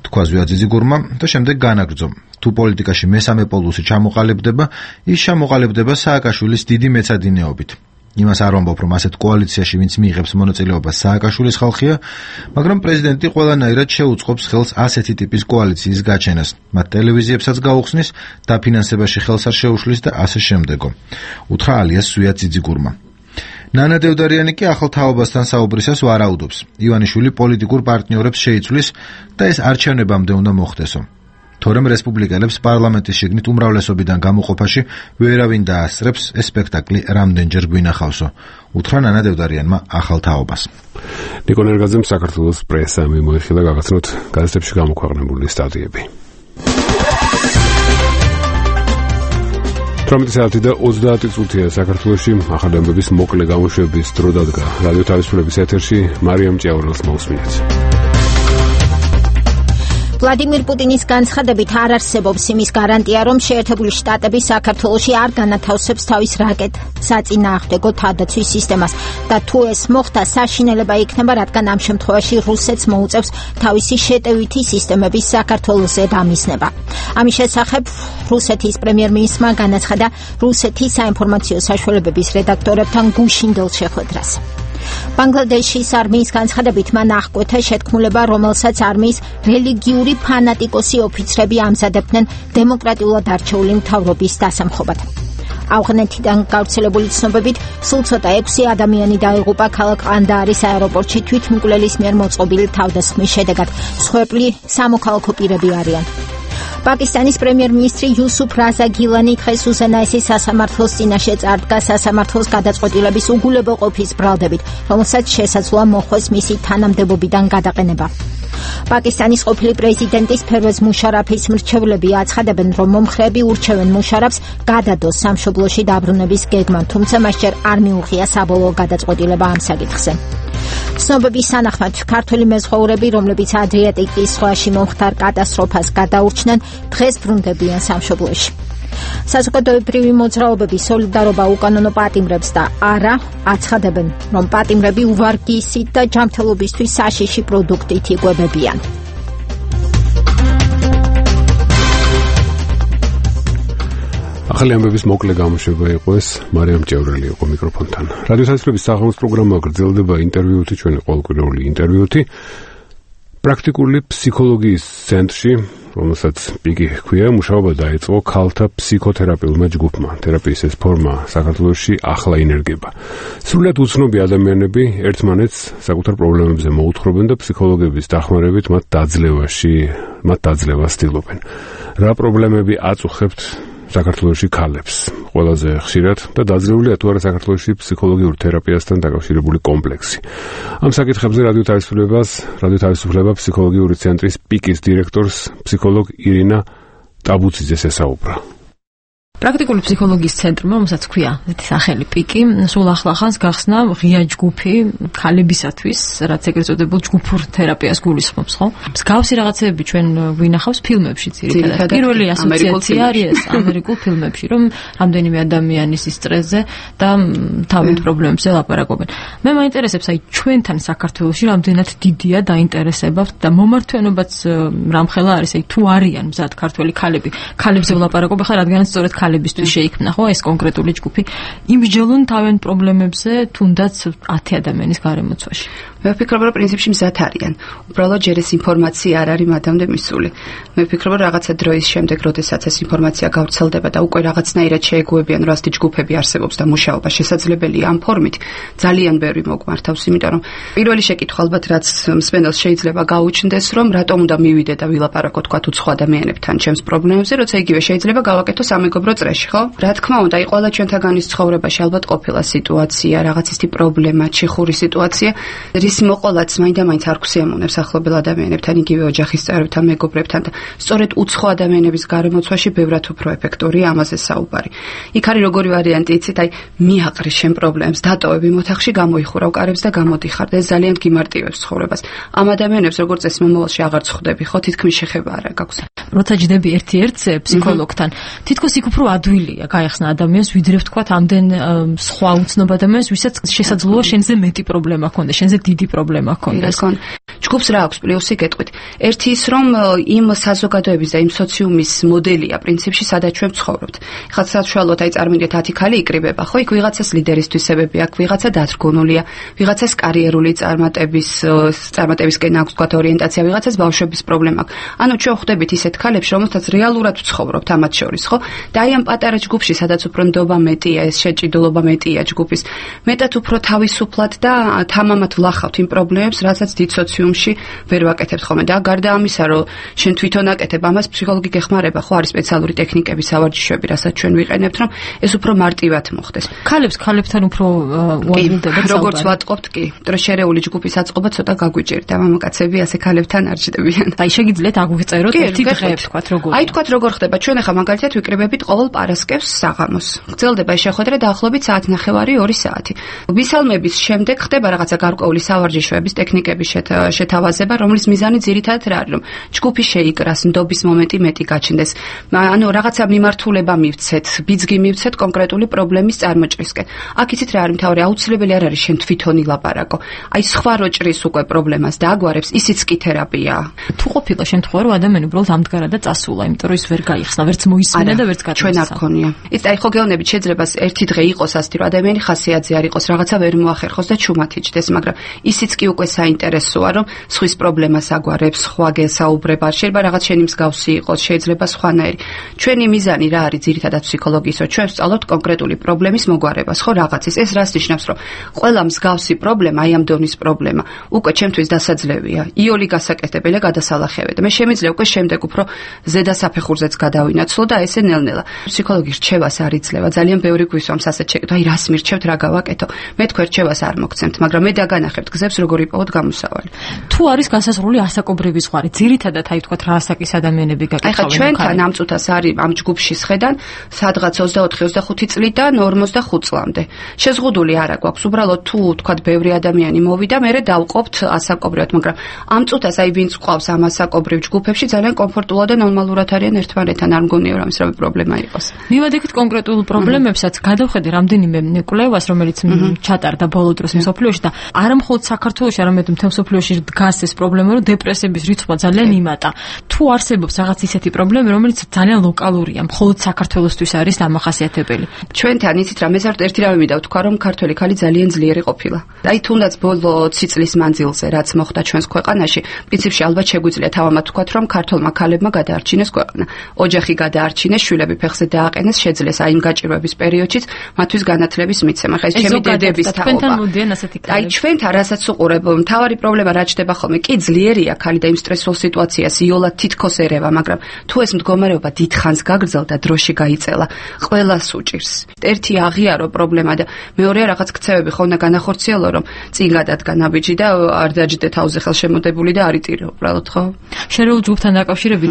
თქვა ზვია ძიძიგურმა და შემდეგ განაგრძო. თუ პოლიტიკაში მესამე პოლუსი ჩამოყალიბდება, ის ჩამოყალიბდება სააკაშვილის დიდი მეცადინეობით. იმას არ ვამბობ, რომ ასეთ კოალიციაში ვინც მიიღებს მონაწილეობას სააკაშვილის ხალხია, მაგრამ პრეზიდენტი ყველანაირად შეუწყობს ხელს ასეთი ტიპის კოალიციის გაჩენას. მათ ტელევიზიებსაც გაუხსნის, დაფინანსებაში ხელს არ შეუშლის და ასე შემდეგო. უთხრა ალიას ზვია ძიძიგურმა. ნანა დევდარიანი კი ახალ თაობასთან საუბრისას ვარაუდობს. ივანიშვილი პოლიტიკურ პარტნიორებს შეიცვლის და ეს არჩევნებამდე უნდა მოხდესო. თორემ რესპუბლიკელებს პარლამენტის შიგნით უმრავლესობიდან გამოყოფაში ვერავინ დაასწრებს, ეს სპექტაკლი რამდენჯერ გვინახავსო. უთხრა ნანა დევდარიანმა ახალ თაობას. ნიკო ნერგაძემ საქართველოს პრესა მიმოიხილა გაგაცნოთ გაზეთებში გამოქვეყნებული სტატიები. თორმეტი საათი და ოცდაათი წუთია საქართველოში ახალი ამბების მოკლე გამოშვების დრო დადგა. რადიო თავისუფლების ეთერში მარიამ ჭიაურელს მოусმინეთ. ვლადიმირ პუტინის განცხადებით არ არსებობს იმის გარანტია, რომ შეერთებული შტატები საქართველოში არ განათავსებს თავის რაკეტ საწინააღმდეგო თავდაცვის სისტემას და თუ ეს მოხდა, საშინელება იქნება, რადგან ამ შემთხვევაში რუსეთს მოუწევს თავისი შეტევითი სისტემების საქართველოზე დამიზნება. ამის შესახებ რუსეთის პრემიერ-მინისტრმა განაცხადა რუსეთის საინფორმაციო საშუალებების რედაქტორებთან გუშინდელ შეხვედრას. ბანგლადეშის არმიის განცხადებით მან აღკვეთა შეთქმულება, რომელსაც არმიის რელიგიური ფანატიკოსი ოფიცრები ამზადებდნენ დემოკრატიულად არჩეული მთავრობის დასამხობად. ავღანეთიდან გავრცელებული ცნობებით, სულ ცოტა ექვსი ადამიანი დაიღუპა ქალაქ ყანდაარის აეროპორტში თვითმკვლელის მიერ მოწყობილი თავდასხმის შედეგად. მსხვერპლი სამოქალაქო პირები არიან. პაკისტანის პრემიერ-მინისტრი იუსუფ რაზა გილანი დღეს უზენაესის სასამართლოს წინაშე წარდგა სასამართლოს გადაწყვეტილების უგულებოყოფის ბრალდებით, რომელსაც შესაძლოა მოხდეს მისი თანამდებობიდან გადაყენება. პაკისტანის ყოფილი პრეზიდენტის ფერვეზ მუშარაფის მრჩევლები აცხადებენ, რომ მომხრეები ურჩევენ მუშარაფს გადადოს სამშობლოში დაბრუნების გეგმან, თუმცა მას ჯერ არ მიუღია საბოლოო გადაწყვეტილება ამ საკითხზე. ცნობების თანახმად ქართველი მეზღვაურები, რომლებიც ადრიატიკის ზღვაში მომხდარ კატასტროფას გადაურჩნენ, დღეს ბრუნდებიან სამშობლოში. საზოგადოებრივი მოძრაობები სოლიდარობა უკანონო პატიმრებს და არა აცხადებენ, რომ პატიმრები უვარგისით და ჯანმრთელობისთვის საშიში პროდუქტით იკვებებიან. ახალი ამბების მოკლე გამოშვება იყო ეს, მარიამ ჭევრელი იყო მიკროფონთან. რადიო თავისუფლების საღამოს პროგრამა გრძელდება ინტერვიუთი, ჩვენი ყოველკვირეული ინტერვიუთი. პრაქტიკული ფსიქოლოგიის ცენტრში, რომელსაც პიკი ჰქვია, მუშაობა დაიწყო ქალთა ფსიქოთერაპიულმა ჯგუფმა. თერაპიის ეს ფორმა საქართველოში ახლა ინერგება. სრულად უცნობი ადამიანები ერთმანეთს საკუთარ პრობლემებზე მოუთხრობენ და ფსიქოლოგების დახმარებით მათ დაძლევაში, მათ დაძლევას ცდილობენ. რა პრობლემები აწუხებთ საქართველოში ქალებს? ყველაზე ხშირად და დაძლეულია თუ არა საქართველოში ფსიქოლოგიურ თერაპიასთან დაკავშირებული კომპლექსი. ამ საკითხებზე რადიო თავისუფლებას, რადიო თავისუფლება ფსიქოლოგიური ცენტრის პიკის დირექტორს ფსიქოლოგ ირინა ტაბუციძეს ესაუბრა. პრაქტიკული ფსიქოლოგიის ცენტრი, რომელსაც ქვია ესეთი სახელი პიკი, სულ ახლახანს გახსნა ღია ჯგუფი ქალებისათვის, რაც ეგრეთ წოდებულ ჯგუფურ თერაპიას გულისხმობს, ხო? მსგავსი რაღაცეები ჩვენ ვინახავს ფილმებში ძირითადად. პირველი ასოციაცია არის ამერიკულ ფილმებში, რომ რამდენიმე ადამიანის სტრესზე და თავით პრობლემებზე ლაპარაკობენ. მე მაინტერესებს, აი ჩვენთან საქართველოში რამდენად დიდია დაინტერესება და მომართვენობაც რამხელა არის, აი თუ არიან მზად ქართველი ქალები, ქალებზე ვლაპარაკობ, ხა რადგანაც სწორედ ქალებისთვის შეიქმნა, ხო, ეს კონკრეტული ჯგუფი. იმსჯელონ თავენ პრობლემებზე, თუნდაც ათი ადამიანის გარემოცვაში. მე ვფიქრობ, რომ პრინციპში მზად არიან. უბრალოდ ჯერ ეს ინფორმაცია არ არის მათამდე მისული. მე ვფიქრობ, რომ რაღაცა დროის შემდეგ, როდესაც ეს ინფორმაცია გავრცელდება და უკვე რაღაცნაირად შეეგუებიან, რომ ასეთი ჯგუფები არსებობს და მუშაობა შესაძლებელია ამ ფორმით, ძალიან ბევრი მოგმართავს, იმიტომ რომ პირველი შეკითხვა ალბათ რაც მსმენელს შეიძლება გაუჩნდეს, რომ რატომ უნდა მივიდე და ვილაპარაკო თქვა თუ სხვა ადამიანებთან ჩემს პრობლემებზე, როცა იგივე შეიძლება გავაკეთო სამეგობრო წრეში, ხო? რა თქმა უნდა, აი ყველა ჩვენთაგანის ცხოვრებაში ალბათ ყოფილა სიტუაცია, რაღაც ისეთი პრობლემა, ჩიხური სიტუაცია, რის მოყოლაც მაინდა-მაინც არ გვსიამოვნებს ახლობელ ადამიანებთან, იგივე ოჯახის წევრებთან, მეგობრებთან და სწორედ უცხო ადამიანების გარემოცვაში ბევრად უფრო ეფექტურია ამაზე საუბარი. იქ არის როგორი ვარიანტი, იცით, აი მიაყრი შენ პრობლემებს, დატოვები მოთახში, გამოიხურავ კარებს და გამოდიხარ და ეს ძალიან გიმარტივებს ცხოვრებას. ამ ადამიანებს როგორც წესი მომავალში აღარ წხვდები, ხო, თითქმის შეხება არ გაქვს. როცა ჯდები ერთ-ერთზე ფსიქოლოგთან, თითქოს იქ უფრო ადვილია გაიხსნა ადამიანს, ვიდრე ვთქვათ ამდენ სხვა უცნობ ადამიანს, ვისაც შესაძლოა შენზე მეტი პრობლემა ჰქონდეს, შენზე დიდი პრობლემა ჰქონდეს. ჯგუფს რა აქვს პლუსი გეტყვით. ერთი ის რომ იმ საზოგადოების და იმ სოციუმის მოდელია პრინციპში, სადაც ჩვენ ვცხოვრობთ. ხა საშუალოდ აი წარმოგიდგენთ ათი ქალი იკრიბება, ხო? იქ ვიღაცას ლიდერის თვისებები აქვს, ვიღაცა დათრგუნულია, ვიღაცას კარიერული წარმატების წარმატებისკენ აქვს თქვათ ორიენტაცია, ვიღაცას ბავშვების პრობლემა აქვს. ანუ ჩვენ ხვდებით ისეთ ქალებს, რომელთაც რეალურად ვცხოვრობთ ამათ შორის, ხო? და აი ამ პატარა ჯგუფში, სადაც უფრო ნდობა მეტია, ეს შეჭიდულობა მეტია ჯგუფის, მეტად უფრო თავისუფლად და თამამად ვლახავთ იმ პრობლემებს, რასაც დიდ სოციუმში ვერ ვაკეთებთ ხოლმე. და გარდა ამისა, რომ შენ თვითონ აკეთებ ამას, ფსიქოლოგი გეხმარება, ხო, არის სპეციალური ტექნიკები, სავარჯიშოები, რასაც ჩვენ ვიყენებთ, რომ ეს უფრო მარტივად მოხდეს. ქალებს ქალებთან უფრო უამბობთ, როგორც ვატყობთ, კი, დრო შერეული ჯგუფის აწყობა ცოტა გაგვიჭირდა, მამაკაცები ასე ქალებთან არ ჯდებიან. აი შეგიძლიათ აგვიწეროთ ერთი დღე, თქვათ როგორ. აი თქვათ როგორ ხდება, ჩვენ ახლა მაგალითად ვიკრიბებით ყოველ პარასკევს საღამოს. გრძელდება შეხვედრა დაახლოებით საათი ნახევარი ორი საათი. ვისალმების შემდეგ ხდება რაღაცა გარკვეული სავარჯიშოების ტექნიკების შეთავაზება, რომლის მიზანი ძირითადად რა არის, რომ ჯგუფი შეიკრას, ნდობის მომენტი მეტი გაჩნდეს. ანუ რაღაცა მიმართულება მივცეთ, ბიძგი მივცეთ კონკრეტული პრობლემის წარმოჭრისკენ. აქ იცით რა არის მთავარი, აუცილებელი არ არის შენ თვითონ ილაპარაკო. აი სხვა როჭრის უკვე პრობლემას დააგვარებს, ისიც კი თერაპიაა. თუ ყოფილა შემთხვევა, რომ ადამიანი უბრალოდ ამდღარა და წასულა, იმიტომ რომ ის ვერ გაიხსნა, ვერც მოისმინა და ვერც გაწესა. ჩვენ არ გქონია. ის აი ხო გეუბნებით, შეიძლება ერთი დღე იყოს ასეთი, რომ ადამიანი ხასიათზე არ იყოს, რაღაცა ვერ მოახერხოს და ჩუმად იჯდეს, მაგრამ ისიც კი უკვე საინტერესოა, რომ სხვის პრობლემას აგვარებს, სხვა გესაუბრება, შეიძლება რაღაც შენი მსგავსი იყოს, შეიძლება სხვანაირი. ჩვენი მიზანი რა არის ძირითადად ფსიქოლოგიის, რომ ჩვენ ვსწავლოთ კონკრეტული პრობლემის მოგვარებას, ხო რაღაცის. ეს რას ნიშნავს, რომ ყველა მსგავსი პრობლემა, აი ამ დონის პრობლემა, უკვე ჩემთვის დასაძლევია, იოლი გასაკეთებელია, გადასალახებია. მე შემიძლია უკვე შემდეგ უფრო ზედა საფეხურზეც გადავინაცვლო და ესე ნელ-ნელა. ფსიქოლოგის რჩევას არ იძლევა, ძალიან ბევრი გვისვამს ასე შეკითხვა, აი რას მირჩევთ, რა გავაკეთო. მე თქვენ რჩევას არ მოგცემთ, მაგრამ მე დაგანახებთ გზებს, როგორ იპოვოთ გამოსავალი. თუ არის განსაზღვრული ასაკობრივი ზღვარი, ძირითადად აი თქვათ რა ასაკის ადამიანები გაკეთავენ. აი ხა ჩვენთან ამ წუთას არის ამ ჯგუფში სხედან სადღაც ოცდაოთხი ოცდახუთი წლიდან ორმოცდახუთ წლამდე. შეზღუდული არა გვაქვს, უბრალოდ თუ თქვათ ბევრი ადამიანი მოვიდა, მე დავყოფთ ასაკობრივად, მაგრამ ამ წუთას აი ვინც ყავს ამ ასაკობრივ ჯგუფებში ძალიან კომფორტულად და ნორმალურად არიან ერთმანეთთან, არ მგონია რომ ისრავი პრობლემა იყოს. მივადექით კონკრეტულ პრობლემებსაც, გადავხედე რამდენიმე კვლევას, რომელიც ჩატარდა ბოლო დროს მსოფლიოში და არა მხოლოდ საქართველოში, არამედ მთელ მსოფლიოში დგას ეს პრობლემა, რომ დეპრესების რიცხვი ძალიან იმატა. თუ არსებობს რაღაც ისეთი პრობლემა, რომელიც ძალიან ლოკალურია, მხოლოდ საქართველოსთვის არის დამახასიათებელი. ჩვენთან იცით რა, მე ზართ ერთი რამე მინდა ვთქვა, რომ ქართველი ქალი ძალიან ძლიერი ყოფილა. აი თუნდაც ბოლო ოცი წლის მანძილზე, რაც მოხდა ჩვენს ქვეყანაში, პრინციპში ალბათ შეგვიძლია თავამად ვთქვათ, რომ ქართველმა ქალებმა გადაარჩინეს ქვეყანა. ოჯახი გადაარჩინეს, შვილები ფეხზე დააყენეს, შეძლეს აი იმ გაჭირვების პერიოდშიც მათთვის განათლების მიცემა. ხა ეს ჩემი დედების თაობა. აი ჩვენთან რასაც უყურებ, მთავარი პრობლემა რა ჩდება ხოლმე, კი ძლიერია ქალი და იმ სტრესულ სიტუაციას იოლად თითქოს ერევა, მაგრამ თუ ეს მდგომარეობა დიდხანს გაგრძელდა, დროში გაიწელა, ყველას უჭირს. ერთი აღიარო პრობლემა და მეორეა რაღაც ქცევები ხო უნდა განახორციელო, რომ წინ გადადგა ნაბიჯი და არ დაჯდე თავზე ხელშემოდებული და არ იტირო უბრალოდ, ხო? შერეულ ჯგუფთან დაკავშირებით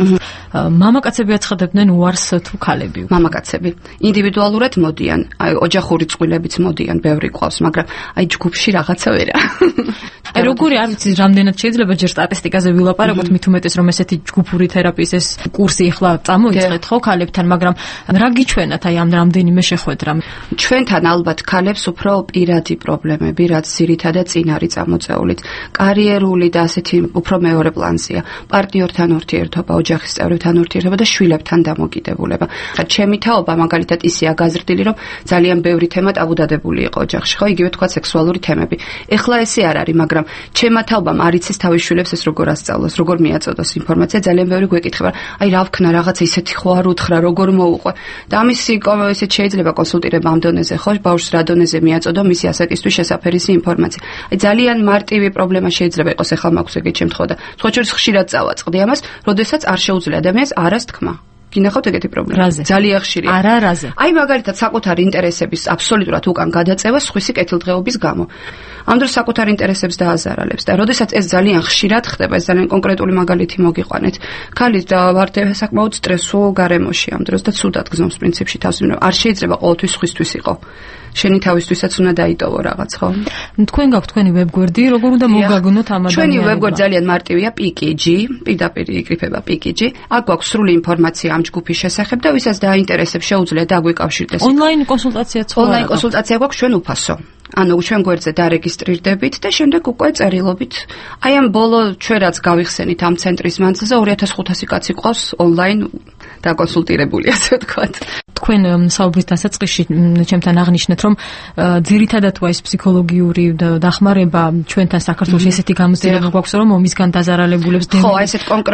მამაკაცები აცხადებდნენ უარს თუ ქალები? მამაკაცები ინდივიდუალურად მოდიან, აი ოჯახური წყვილებიც მოდიან, ბევრი ყავს, მაგრამ აი ჯგუფში რაღაცა ვერა. აი როგორი არ ვიცი, რამდენად შეიძლება ჯერ სტატისტიკაზე ვილაპარაკოთ, მით უმეტეს რომ ესეთი ჯგუფური თერაპიის ეს კურსი ახლა წამოიწყეთ ხო ქალებთან, მაგრამ რა გიჩვენათ აი ამ რამდენიმე შეხვედრა? ჩვენთან ალბათ ქალებს უფრო პირადი პრობლემები, რაც ძირითადად წინ არის წამოწეულით. კარიერული და ასეთი უფრო მეორე პლანზეა. პარტნიორთან ურთიერთობა, ოჯახის წევრებთან ურთიერთობა და შვილებთან დამოკიდებულება. ხა ჩემი თაობა მაგალითად ისეა გაზრდილი, რომ ძალიან ბევრი თემა ტაბუდადებული იყო ოჯახში, ხო, იგივე თქვა სექსუალური თემები. ეხლა ესე არ არის, მაგრამ ჩემმა თაობამ არ იცის თავის შვილებს ეს როგორ ასწავლოს, როგორ მიაწოდოს ინფორმაცია, ძალიან ბევრი გვეკითხება, აი რა ვქნა, რაღაცა ისეთი ხო არ უთხრა, როგორ მოუყვე. და ამისი ესეთ შეიძლება კონსულტირება ამ დონეზე, ხო, ბავშვს რა დონეზე მიაწოდო მისი ასაკისთვის შესაფერისი ინფორმაცია. აი ძალიან მარტივი პრობლემა შეიძლება იყოს, ახლა მაქვს ეგეთ შემთხვევა და სხვა შორის ხშირად წავაწყდი ამას, როდესაც არ შეუძლია ადამიანს არას თქმა. გინახავთ ეგეთი პრობლემა. ძალიან ხშირია. არა, რაზე? აი მაგალითად საკუთარი ინტერესების აბსოლუტურად უკან გადაწევა სხვისი კეთილდღეობის გამო. ამ დროს საკუთარ ინტერესებს დააზარალებს და როდესაც ეს ძალიან ხშირად ხდება, ეს ძალიან კონკრეტული მაგალითი მოგიყვანეთ. ქალი ვარდება საკმაოდ სტრესულ გარემოში ამ დროს და ცუდად გზნობს პრინციპში თავს, იმიტომ არ შეიძლება ყოველთვის სხვისთვის იყო. შენი თავისთვისაც უნდა დაიტოვო რაღაც, ხო? თქვენ გაქვთ თქვენი ვებგვერდი, როგორ უნდა მოგაგონოთ ამ ადამიანებს? ჩვენი ვებგვერდი ძალიან მარტივია, პიკიჯი, პირდაპირ იკრიფება პიკიჯი. აქ გვაქვს სრული ინფორმაცია ამ ჯგუფის შესახებ და ვისაც დაინტერესებს, შეუძლია დაგვიკავშირდეს. ონლაინ კონსულტაციაც ხო? ონლაინ კონსულტაცია გვაქვს ჩვენ უფასო. ანუ ჩვენ გვერდზე დარეგისტრირდებით და შემდეგ უკვე წერილობით. აი ამ ბოლო ჩვენ რაც გავიხსენით ამ ცენტრის მანძილზე ორი ათას ხუთასი კაცი ყავს ონლაინ დაკონსულტირებული, ასე ვთქვათ. თქვენ საუბრის დასაწყისში ჩემთან აღნიშნეთ, რომ ძირითადად ეს ფსიქოლოგიური დახმარება ჩვენთან საქართველოს ესეთი გამოცდილება გვაქვს, რომ ომისგან დაზარალებულებს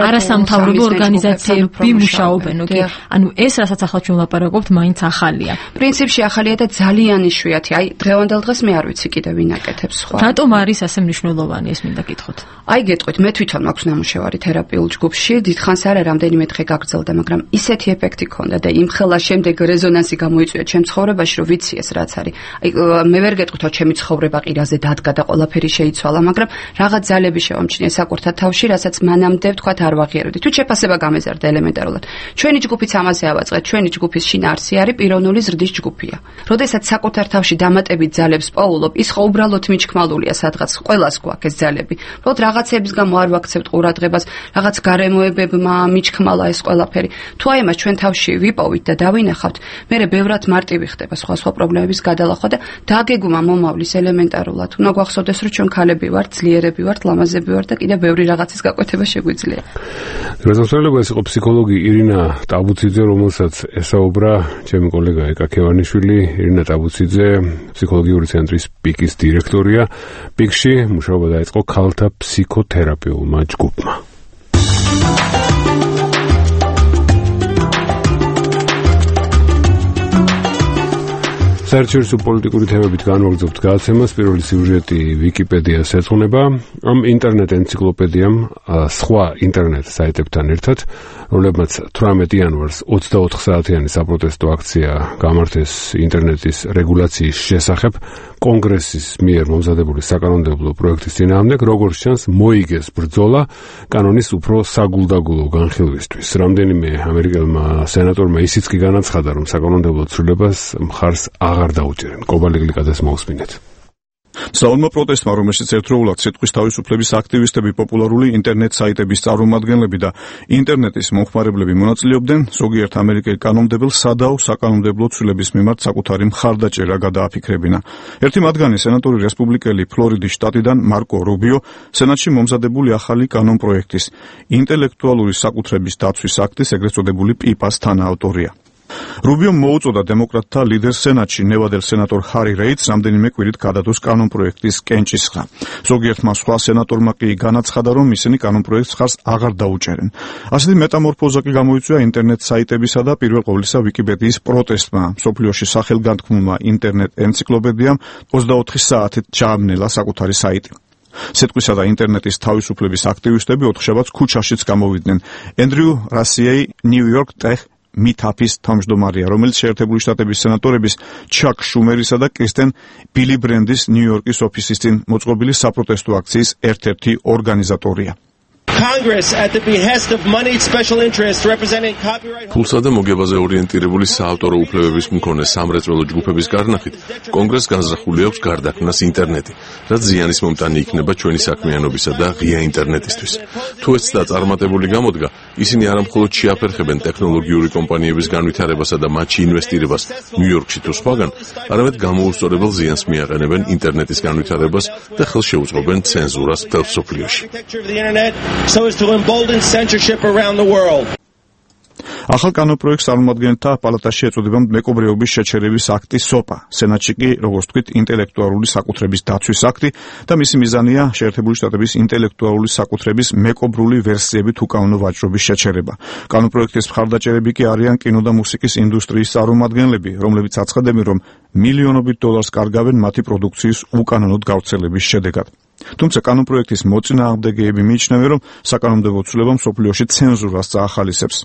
არასამთავრობო ორგანიზაციები მუშაობენ, ოკეი. ანუ ეს რასაც ახლა ჩვენ ვლაპარაკობთ, მაინც ახალია. პრინციპში ახალია და ძალიან იშვიათი. აი დღევანდელ დღეს მე არ ვიცი კიდე ვინ აკეთებს სხვა. რატომ არის ასე მნიშვნელოვანი ეს მინდა გითხოთ? აი გეტყვით, მე თვითონ მაქვს ნამუშევარი თერაპიულ ჯგუფში, დიდხანს არა რამდენიმე დღე გაგრძელდა, მაგრამ ისეთი ეფექტი ქონდა და იმხელა შემდეგ რეზონანსი გამოიწვია ჩემ ცხოვრებაში, რომ ვიცი ეს რაც არის. აი მე ვერ გეტყვით, რომ ჩემი ცხოვრება ყირაზე დადგა და ყველაფერი შეიცვალა, მაგრამ რაღაც ძალები შევამჩნია საკუთარ თავში, რასაც მანამდე ვთქვათ არ ვაღიარებდი. თუ შეფასება გამეზარდა ელემენტარულად. ჩვენი ჯგუფიც ამაზე ავაწყეთ, ჩვენი ჯგუფის შინაარსი არის პიროვნული ზრდის ჯგუფია. როდესაც საკუთარ თავში დამატებით ძალებს პოულობ, ის ხო უბრალოდ მიჩქმალულია სადღაც, ყველას გვაქვს ეს ძალები. უბრალოდ რაღაცების გამო არ ვაქცევთ ყურადღებას, რაღაც გარემოებებმა მიჩქმალა ეს ყველაფერი. თუ აი მას ჩვენ თავში ვიპოვით და დავინახავთ, მერე ბევრად მარტივი ხდება სხვა სხვა პრობლემების გადალახვა და დაგეგმა მომავლის ელემენტარულად. უნდა გვახსოვდეს, რომ ჩვენ ქალები ვართ, ძლიერები ვართ, ლამაზები ვართ და კიდე ბევრი რაღაცის გაკვეთება შეგვიძლია. გასაოცარება ეს იყო ფსიქოლოგი ირინა ტაბუციძე, რომელსაც ესაუბრა ჩემი კოლეგა ეკა ქევანიშვილი. ირინა ტაბუციძე ფსიქოლოგიური ცენტრის პიკის დირექტორია. პიკში მუშაობა დაიწყო ქალთა ფსიქოთერაპიულმა ჯგუფმა. საერთაშორისო პოლიტიკური თემებით განვაგრძობთ გადაცემას. პირველი სიუჟეტი ვიკიპედიას ეძღვნება. ამ ინტერნეტ ენციკლოპედიამ სხვა ინტერნეტ საიტებთან ერთად, რომლებმაც თვრამეტი იანვარს ოცდაოთხ საათიანი საპროტესტო აქცია გამართეს ინტერნეტის რეგულაციის შესახებ, კონგრესის მიერ მომზადებული საკანონმდებლო პროექტის წინააღმდეგ, როგორც ჩანს, მოიგეს ბრძოლა კანონის უფრო საგულდაგულო განხილვისთვის. რამდენიმე ამერიკელმა სენატორმა ისიც კი განაცხადა, რომ საკანონმდებლო ცვლილებას მხარს აღარ დაუჭერენ. კობალიგლიკაძეს მოусმინეთ. მსავალმა პროტესტმა, რომელშიც ერთდროულად სიტყვის თავისუფლების აქტივისტები, პოპულარული ინტერნეტ საიტების წარმომადგენლები და ინტერნეტის მომხმარებლები მონაწილეობდნენ, ზოგიერთ ამერიკელ კანონმდებელს სადავ საკანონმდებლო ცვლილების მიმართ საკუთარი მხარდაჭერა გადააფიქრებინა. ერთი მათგანი სენატორი რესპუბლიკელი ფლორიდის შტატიდან მარკო რუბიო სენატში მომზადებული ახალი კანონპროექტის ინტელექტუალური საკუთრების დაცვის აქტის, ეგრეთ წოდებული პიპას თანაავტორია. რუბიომ მოუწოდა დემოკრატთა ლიდერ სენატში ნევადელ სენატორ ჰარი რეიდს რამდენიმე კვირით გადადოს კანონპროექტის კენჭისყრა. ზოგიერთმა სხვა სენატორმა კი განაცხადა, რომ ისინი კანონპროექტს ხარს აღარ დაუჭერენ. ასეთი მეტამორფოზა კი გამოიწვია ინტერნეტ საიტებისა და პირველ ყოვლისა ვიკიპედიის პროტესტმა. მსოფლიოში სახელგანთქმულმა ინტერნეტ ენციკლოპედიამ ოცდაოთხი საათით ჩააბნელა საკუთარი საიტი. სიტყვისა და ინტერნეტის თავისუფლების აქტივისტები ოთხშაბათს ქუჩაშიც გამოვიდნენ. ენდრიუ რასიეი ნიუ-იორკ ტეხ მითაფის თავმჯდომარეა, რომელიც შეერთებული შტატების სენატორების ჩაკ შუმერისა და კრისტენ ბილი ბრენდის ნიუ-იორკის ოფისის წინ მოწყობილი საპროტესტო აქციის ერთ-ერთი ორგანიზატორია. ფულსა და მოგებაზე ორიენტირებული საავტორო უფლებების მქონე სამრეწველო ჯგუფების გარნახით, კონგრესს განზრახული აქვს გარდაქმნას ინტერნეტი, რაც ზიანის მომტანი იქნება ჩვენი საქმიანობისა და ღია ინტერნეტისთვის. თუ ეს და წარმატებული გამოდგა, ისინი არამხოლოდ შეაფერხებენ ტექნოლოგიური კომპანიების განვითარებასა და მათში ინვესტირებას ნიუ-იორკში თუ სხვაგან, არამედ გამოუსწორებელ ზიანს მიაყენებენ ინტერნეტის განვითარებას და ხელს შეუწყობენ ცენზურას მთელ მსოფლიოში. So as to embolden censorship around the world. ახალ კანონპროექტს წარმომადგენელთა პალატაში ეწოდება მეკობრეობის შეჩერების აქტი სოპა. სენატში კი, როგორც ვთქვით, ინტელექტუალური საკუთრების დაცვის აქტი და მისი მიზანია შეერთებული შტატების ინტელექტუალური საკუთრების მეკობრული ვერსიებით უკანონო ვაჭრობის შეჩერება. კანონპროექტის მხარდაჭერები კი არიან კინო და მუსიკის ინდუსტრიის წარმომადგენლები, რომლებიც აცხადებენ, რომ მილიონობით დოლარს კარგავენ მათი პროდუქციის უკანონოდ გავრცელების შედეგად. თუმცა კანონპროექტის მოწინააღმდეგეები მიიჩნევენ, რომ საკანონმდებლო ცვლილება მსოფლიოში ცენზურას წაახალისებს.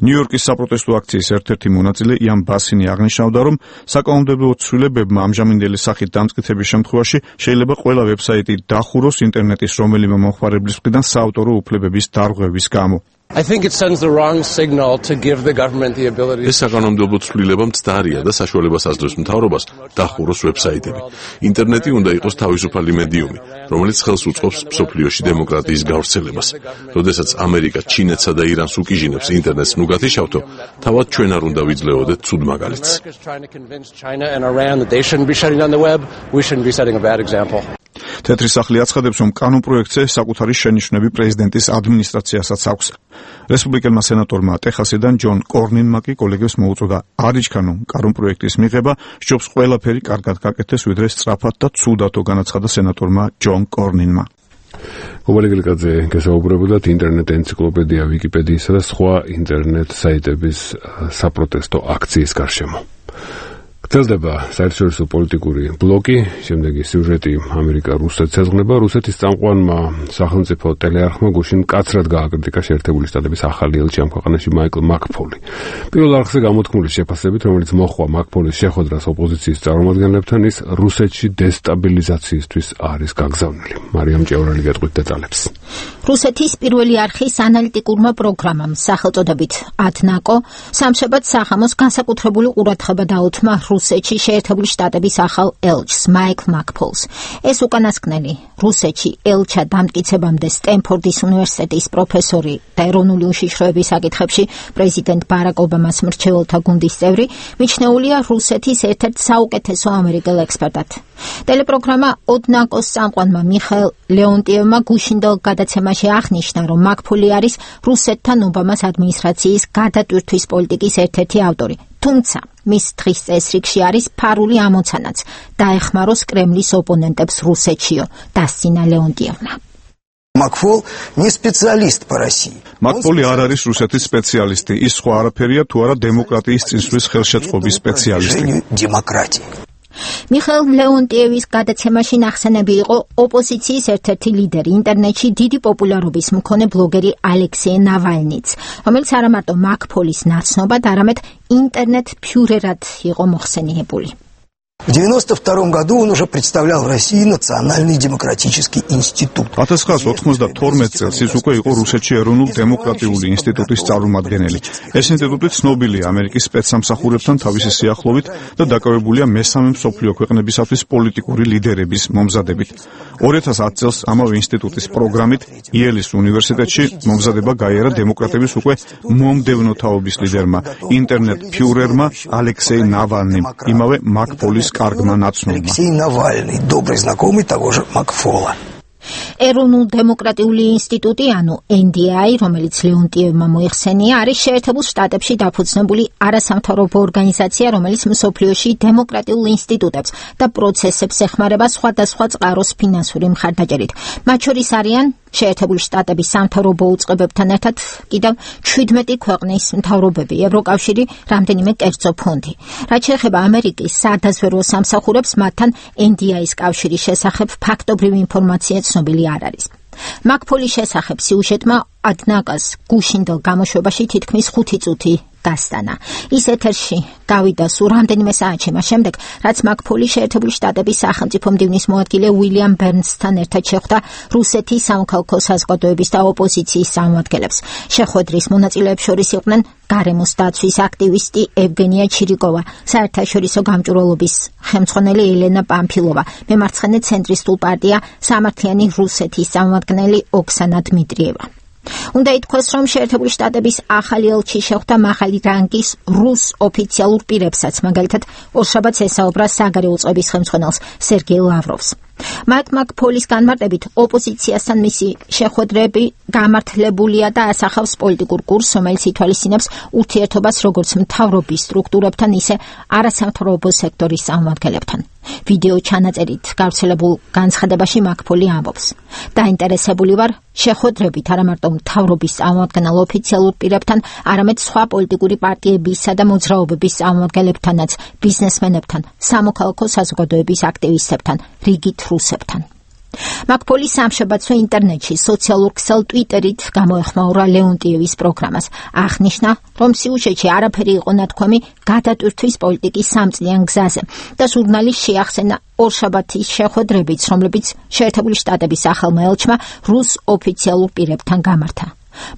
ნიუ-იორკის საპროტესტო აქციის ერთ-ერთი მონაწილე იან ბასინი აღნიშნავდა, რომ საკანონმდებლო ცვლილებებმა ამჟამინდელი სახით დამტკიცების შემთხვევაში შეიძლება ყველა ვებსაიტი დახუროს ინტერნეტის რომელიმე მომხმარებლის მხრიდან საავტორო უფლებების დარღვევის გამო. I think it sends the wrong signal to give the government the ability. ეს საკანონმდებლო ცვლილება მცდარია და საშუალებას აძლევს მთავრობას დახუროს ვებსაიტები. ინტერნეტი უნდა იყოს თავისუფალი მედიუმი, რომელიც ხელს უწყობს მსოფლიოში დემოკრატიის გავრცელებას. როდესაც ამერიკა ჩინეთსა და ირანს უკიჟინებს ინტერნეტს ნუგათიშავთო, თავად ჩვენ არ უნდა ვიძლეოდეთ ცუდ მაგალითს. თეთრი სახლი აცხადებს, რომ კანონპროექტზე საკუთარი შენიშვნები პრეზიდენტის ადმინისტრაციასაც აქვს. რესპუბლიკელმა სენატორმა ტეხასიდან ჯონ კორნინმა კი კოლეგებს მოუწოდა არ იჩქანონ კანონპროექტის მიღება, სჯობს ყველაფერი კარგად გაკეთდეს, ვიდრე სწრაფად და ცუდათო, განაცხადა სენატორმა ჯონ კორნინმა. გოგოლეგელიკაძე გესაუბრებოდათ ინტერნეტ ენციკლოპედია ვიკიპედიისა და სხვა ინტერნეტ საიტების საპროტესტო აქციის გარშემო. გრძელდება საერთაშორისო პოლიტიკური ბლოკი, შემდეგი სიუჟეტი ამერიკა-რუსეთს ეძღვნება. რუსეთის წამყვანმა სახელმწიფო ტელეარხმა გუშინ მკაცრად გააკრიტიკა შეერთებული შტატების ახალი ელჩი ამ ქვეყანაში მაიკლ მაკფოლი. პირველ არხზე გამოთქმული შეფასებით, რომელიც მოჰყვა მაკფოლის შეხვედრას ოპოზიციის წარმომადგენლებთან, ის რუსეთში დესტაბილიზაციისთვის არის გაგზავნილი. მარიამ ჭევრალი გეტყვით დეტალებს. რუსეთის პირველი არხის ანალიტიკურმა პროგრამამ სახელწოდებით ათნაკო სამშაბათ საღამოს განსაკუთრებული ყურადღება დაუთმა რუსეთში შეერთებული შტატების ახალ ელჩს მაიკლ მაკფოლს. ეს უკანასკნელი რუსეთში ელჩად დამტკიცებამდე სტენფორდის უნივერსიტეტის პროფესორი და ეროვნული უშიშროების საკითხებში პრეზიდენტ ბარაკ ობამას მრჩეველთა გუნდის წევრი, მიჩნეულია რუსეთის ერთ-ერთ საუკეთესო ამერიკელ ექსპერტად. ტელეპროგრამა ოდნაკოს წამყვანმა მიხაილ ლეონტიევმა გუშინდელ გადაცემაში აღნიშნა, რომ მაკფოლი არის რუსეთთან ობამას ადმინისტრაციის გადატვირთვის პოლიტიკის ერთ-ერთი ავტორი. თუმცა მის დღის წესრიგში არის ფარული ამოცანაც დაეხმაროს კრემლის ოპონენტებს რუსეთშიო, დასცინა ლეონტიევმა. Макфол не специалист по России. მაკფოლი არ არის რუსეთის სპეციალისტი, ის სხვა არაფერია თუ არა დემოკრატიის წინსვლის ხელშეწყობის სპეციალისტი. მიხაილ ლეონტიევის გადაცემაში ნახსენები იყო ოპოზიციის ერთ-ერთი ლიდერი, ინტერნეტში დიდი პოპულარობის მქონე ბლოგერი ალექსეი ნავალნიც, რომელიც არა მარტო მაკფოლის ნაცნობად, არამედ ინტერნეტ ფიურერად იყო მოხსენიებული. В девяносто втором году он уже представлял в России Национальный демократический институт. ათას ცხრაას ოცდაათი წელს ის უკვე იყო რუსეთში ეროვნულ დემოკრატიული ინსტიტუტის წარმომადგენელი. ეს ინსტიტუტი ცნობილია ამერიკის სპეცსამსახურებთან თავისი სიახლოვით და დაკავებულია მესამე მსოფლიო ქვეყნებისათვის პოლიტიკური ლიდერების მომზადებით. ორი ათას ათი წელს ამავე ინსტიტუტის პროგრამით იელის უნივერსიტეტში მომზადება გაიარა დემოკრატების უკვე მომდევნო თაობის ლიდერმა, ინტერნეტ ფიურერმა ალექსეი ნავალნიმ, იმავე მაკფოლის კარგმა ნაცნობმა. Алексей Навальный, добрый знакомый того же Макфола. ეროვნულ დემოკრატიული ინსტიტუტი, ანუ ენ დი აი, რომელიც ლეონტიევმა მოიხსენია, არის შეერთებულ შტატებში დაფუძნებული არასამთავრობო ორგანიზაცია, რომელიც მსოფლიოში დემოკრატიულ ინსტიტუტებს და პროცესებს ეხმარება სხვადასხვა წყაროს ფინანსური მხარდაჭერით. მათ შორის არიან შეერთებული შტატების სამთავრობო უწყებებთან ერთად კიდევ ჩვიდმეტი ქვეყნის მთავრობები, ევროკავშირი, რამდენიმე კერძო ფონდი. რაც შეეხება ამერიკის სადაზვერვო სამსახურებს, მათთან ენ დი აის კავშირის შესახებ ფაქტობრივი ინფორმაცია ცნობილი არ არის. მაკფოლის შესახებ სიუჟეტმა ადნაკას გუშინდელ გამოშვებაში თითქმის ხუთი წუთი გასტანა. ის ეთერში გავიდა სულ რამდენიმე საათში მას შემდეგ, რაც მაკფოლი შეერთებული შტატების სახელმწიფო მდივნის მოადგილე უილიამ ბერნსთან ერთად შეხვდა რუსეთის სამოქალაქო საზოგადოების და ოპოზიციის წარმომადგენლებს. შეხვედრის მონაწილეებს შორის იყვნენ გარემოს დაცვის აქტივისტი ევგენია ჩირიკოვა, საერთაშორისო გამჭვირვალობის ხელმძღვანელი ელენა პამფილოვა, მემარცხენე ცენტრისტულ პარტია სამართლიანი რუსეთის წარმომადგენელი ოქსანა დმიტრიევა. უნდა ითქვას, რომ შეერთებული შტატების ახალი ელჩი შეხვდა მაღალი რანგის რუს ოფიციალურ პირებსაც, მაგალითად ორშაბათს ესაუბრა საგარეო წყობის ხელმძღვანელს სერგეი ლავროვს. მაიკლ მაკფოლის განმარტებით, ოპოზიციასთან მისი შეხვედრები გამართლებულია და ასახავს პოლიტიკურ კურსს, რომელიც ითვალისწინებს ურთიერთობას როგორც მთავრობის სტრუქტურებთან, ისე არასამთავრობო სექტორის წარმომადგენლებთან. ვიდეო ჩანაწერით გავრცელებულ განცხადებაში მაკფოლი ამბობს: დაინტერესებული ვარ შეხვედრებით არა მარტო მთავრობის წარმომადგენელ ოფიციალურ პირებთან, არამედ სხვა პოლიტიკური პარტიებისა და მოძრაობების წარმომადგენლებთანაც, ბიზნესმენებთან, სამოქალაქო საზოგადოების აქტივისტებთან, რიგით რუსებთან. მაკფოლი სამშაბათსო ინტერნეტში სოციალურ ქსელ ტვიტერით გამოეხმაურა ლეონტიევის პროგრამას. აღნიშნა, რომ სიუჟეტში არაფერი იყო ნათქვამი გადატვირთვის პოლიტიკის სამწლიან გზაზე და ჟურნალის შეახსენა ორშაბათის შეხვედრებიც, რომლებიც შეერთებული შტატების ახალმა ელჩმა რუს ოფიციალურ პირებთან გამართა.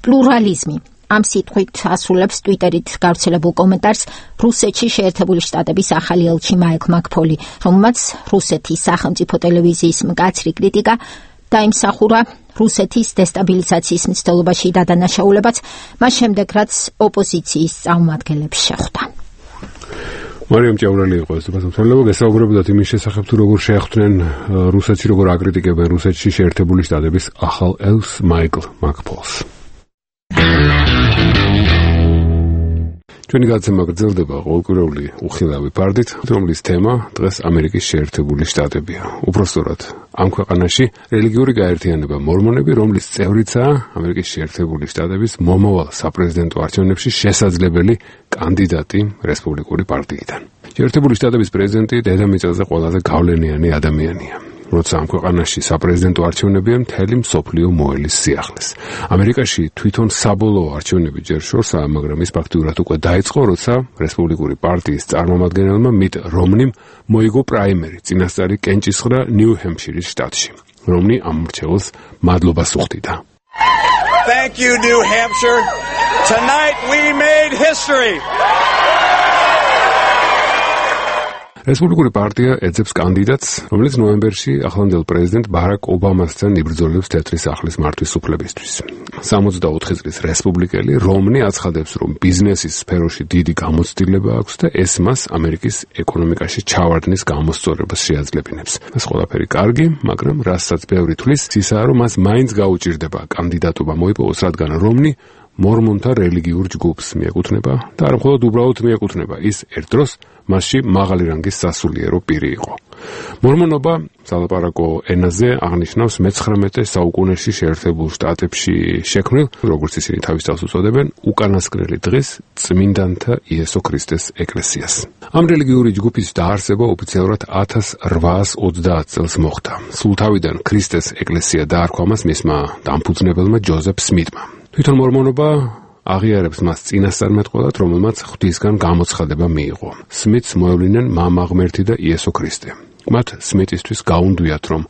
პლურალიზმი ამ სიტყვით ასრულებს ტვიტერით გავრცელებულ კომენტარს რუსეთში შეერთებული შტატების ახალი ელჩი მაიკლ მაკფოლი, რომელმაც რუსეთის სახელმწიფო ტელევიზიის მკაცრი კრიტიკა დაიმსახურა რუსეთის დესტაბილიზაციის მცდელობაში დადანაშაულებაც, მას შემდეგ რაც ოპოზიციის წარმომადგენლებს შეხვდა. მარიამ ჭაურალი იყო ეს ბაზართელობა, გასაუბრებოდათ იმის შესახებ თუ როგორ შეხვდნენ რუსეთში, როგორ აკრიტიკებენ რუსეთში შეერთებული შტატების ახალ ელჩს მაიკლ მაკფოლს. ჩვენი გადაცემა გრძელდება ყოველკვირეული უხილავი ფარდით, რომლის თემა დღეს ამერიკის შეერთებული შტატებია. უпростоრად, ამ ქვეყანაში რელიგიური გაერთიანება მორმონები, რომლის წევრიცაა ამერიკის შეერთებული შტატების მომავალ საპრეზიდენტო არჩევნებში შესაძლებელი კანდიდატი რესპუბლიკური პარტიიდან. შეერთებული შტატების პრეზიდენტი დედამიწაზე ყველაზე გავლენიანი ადამიანია. როცა ამ ქვეყანაში საპრეზიდენტო არჩევნებია, მთელი მსოფლიო მოელის სიახლეს. ამერიკაში თვითონ საბოლოო არჩევნები ჯერ შორსაა, მაგრამ ის ფაქტიურად უკვე დაიწყო, როცა რესპუბლიკური პარტიის წარმომადგენელმა მიტ რომნიმ მოიგო პრაიმერი წინასწარი კენჭისყრა ნიუ-ჰემფშირის შტატში. რომნი ამ მრჩეველს მადლობას უხდიდა. Thank you, New Hampshire. Tonight we made history. რესპუბლიკური პარტია ეძებს კანდიდატს, რომელიც ნოემბერში ახლანდელ პრეზიდენტ ბარაკ ობამასთან იბრძოლებს თეთრი სახლის მართვის უფლებისთვის. სამოცდაოთხი წლის რესპუბლიკელი რომნი აცხადებს, რომ ბიზნესის სფეროში დიდი გამოცდილება აქვს და ეს მას ამერიკის ეკონომიკაში ჩავარდნის გამოსწორებას შეაძლებინებს. ეს ყველაფერი კარგი, მაგრამ რასაც ბევრი თვლის, ისაა, რომ მას მაინც გაუჭირდება კანდიდატობა მოიპოვოს, რადგან რომნი მორმონთა რელიგიურ ჯგუფს მიეკუთვნება და არა მხოლოდ უბრალოდ მიეკუთვნება, ის ერთ დროს მასში მაღალი რანგის სასულიერო პირი იყო. მორმონობა სალაპარაკო ენაზე აღნიშნავს მეცხრამეტე საუკუნეში შეერთებულ შტატებში შექმნილ, როგორც ისინი თავის თავს უწოდებენ, უკანასკნელი დღის წმინდანთა იესო ქრისტეს ეკლესიას. ამ რელიგიური ჯგუფის დაარსება ოფიციალურად ათას რვაას ოცდაათ წელს მოხდა. სულ თავიდან ქრისტეს ეკლესია დაარქვა მას მისმა დამფუძნებელმა ჯოზეფ სმიტმა. თვითონ მორმონობა აღიარებს მას წინასწარმეტყველად, რომელმაც ღვთისგან გამოცხადება მიიღო. სმიტს მოევლინեն მამა ღმერთი და იესო ქრისტე. მათ სმიტისთვის გაუნდვიათ, რომ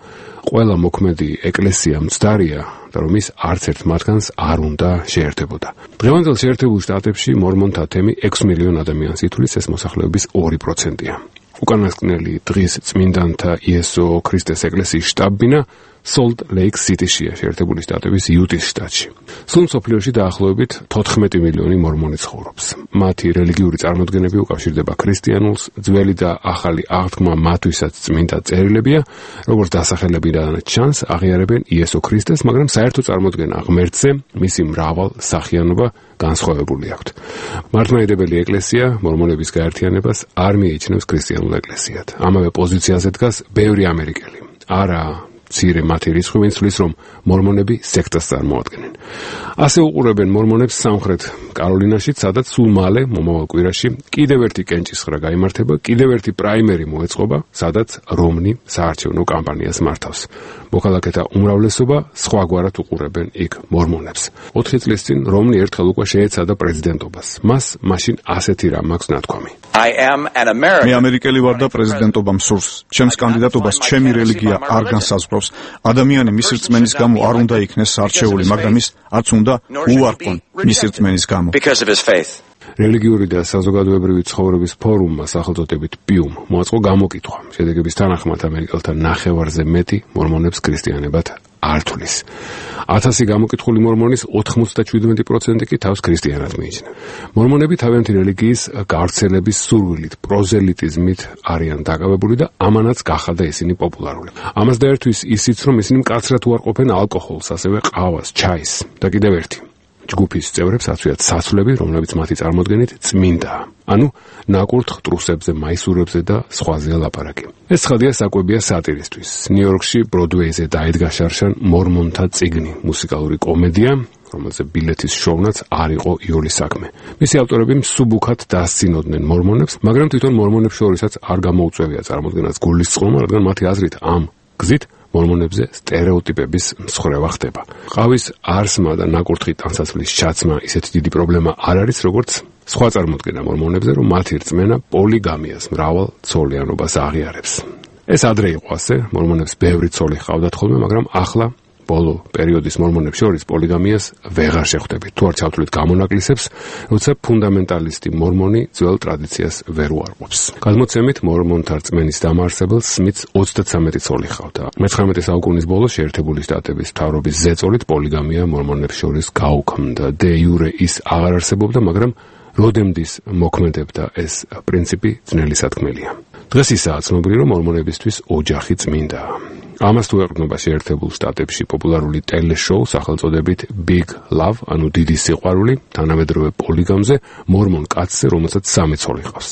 ყველა მოქმედი ეკლესია მცდარია და რომ ის არც ერთ მათგანს არ უნდა შეერთებოდა. დღევანდელ შეერთებულ შტატებში მორმონთა თემი ექვს მილიონ ადამიანს ითვლის, ეს მოსახლეობის ორი პროცენტია. უკანასკნელი დღის წმინდანთა იესო ქრისტეს ეკლესიის შტაბ-ბინა სოლტ ლეიქ სიტიშია, შეერთებული შტატების იუტის შტატში. სულ მსოფლიოში დაახლოებით თოთხმეტი მილიონი მორმონი ცხოვრობს. მათი რელიგიური წარმოდგენები უკავშირდება ქრისტიანულს, ძველი და ახალი აღთქმა მათვისაც წმინდა წერილებია, როგორც დასახელებიდან ჩანს, აღიარებენ იესო ქრისტეს, მაგრამ საერთო წარმოდგენა ღმერთზე, მისი მრავალ სახიანობა განსხვავებული აქვთ. მართლმადიდებელი ეკლესია მორმონების გაერთიანებას არ მიიჩნევს ქრისტიანულ ეკლესიად. ამავე პოზიციაზე დგას ბევრი ამერიკელი. არა მცირე მათი რიცხვი, ვინც თვლის, რომ მორმონები სექტას წარმოადგენენ. ასე უყურებენ მორმონებს სამხრეთ კაროლინაში, სადაც სულ მალე მომავალ კვირაში კიდევ ერთი კენჭისყრა გაიმართება, კიდევ ერთი პრაიმერი მოეწყობა, სადაც რომნი საარჩევნო კამპანიას მართავს. მოქალაქეთა უმრავლესობა სხვაგვარად უყურებენ იქ მორმონებს. ოთხი წლის წინ რომნი ერთხელ უკვე შეეცადა პრეზიდენტობას. მას მაშინ ასეთი რამ აქვს ნათქვამი. მე ამერიკელი ვარ და პრეზიდენტობა მსურს. ჩემს კანდიდატობას ჩემი რელიგია არ განსაზღვრავს. ადამიანი მისი რწმენის გამო არ უნდა იქნეს არჩეული, მაგრამ ის არც უნდა უარყონ მისი რწმენის გამო. რელიგიური და საზოგადოებრივი ცხოვრების ფორუმმა სახელწოდებით პიუმ მოაწყო გამოკითხვა. შედეგების თანახმად ამერიკელთა ნახევარზე მეტი მორმონებს ქრისტიანებად არ თვლის. ათასი გამოკითხული მორმონის ოთხმოცდაშვიდმეტი პროცენტი კი თავს ქრისტიანად მიიჩნევს. მორმონები თავიანთი რელიგიის გავრცელების სურვილით, პროზელიტიზმით არიან დაკავებული და ამანაც გახადა ისინი პოპულარული. ამას დაერთვის ისიც, რომ ისინი მკაცრად უარყოფენ ალკოჰოლს, ასევე ყავას, ჩაის და კიდევ ერთი. ჯგუფის წევრებს აცვიათ საცვლები, რომლებიც მათი წარმოდგენით წმინდაა. ანუ ნაკურთხ ტრუსებზე, მაისურებზე და სხვაზეა ლაპარაკი. ეს ცხადია საკვებია სატირისთვის. ნიუ-იორკში ბროდვეიზე დაიდგა შარშან მორმონთა წიგნი, მუსიკალური კომედია, რომელზე ბილეთის შოვნაც არ იყო იოლის საქმე. მისი ავტორები მსუბუქად დასცინოდნენ მორმონებს, მაგრამ თვითონ მორმონებს შორისაც არ გამოუწევია წარმოდგენას გულისწყრომა, რადგან მათი აზრით ამ გზით მორმონებზე სტერეოტიპების მსხვერპლ ხდება. ყავის არსმა და ნაკურთხი ტანსაცმლის ჩაცმა ისეთი დიდი პრობლემა არ არის, როგორც სხვა წარმოდგენა მორმონებზე, რომ მათი რწმენა პოლიგამიას, მრავალ ცოლიანობას აღიარებს. ეს ადრე იყო ასე, მორმონებს ბევრი ცოლი ჰყავდათ ხოლმე, მაგრამ ახლა ბოლო პერიოდის მორმონებს შორის პოლიგამიას ვეღარ შეხვდებით. თუ არ ჩავთვლით გამონაკლისებს, როცა ფუნდამენტალისტი მორმონი ძველ ტრადიციას ვერ უარყოფს. გადმოცემით, მორმონთა რწმენის დამაარსებელს სმითს ოცდათვრამეტი ცოლი ჰყავდა. მეთვრამეტე საუკუნის ბოლოს შეერთებული შტატების მთავრობის ზეწოლით პოლიგამია მორმონებს შორის გაუქმდა. დე იურე ის აღარ არსებობდა, მაგრამ როდემდის მოქმედებდა ეს პრინციპი ძნელი სათქმელია. დღეს ისაა ცნობილი, რომ მორმონებისთვის ოჯახი წმინდაა. ამას თუ ეყრდნობა შეერთებულ შტატებში პოპულარული ტელეშოუ სახელწოდებით Big Love, ანუ დიდი სიყვარული, თანამედროვე პოლიგამზე, მორმონ კაცზე, რომელსაც სამი ცოლი ჰყავს.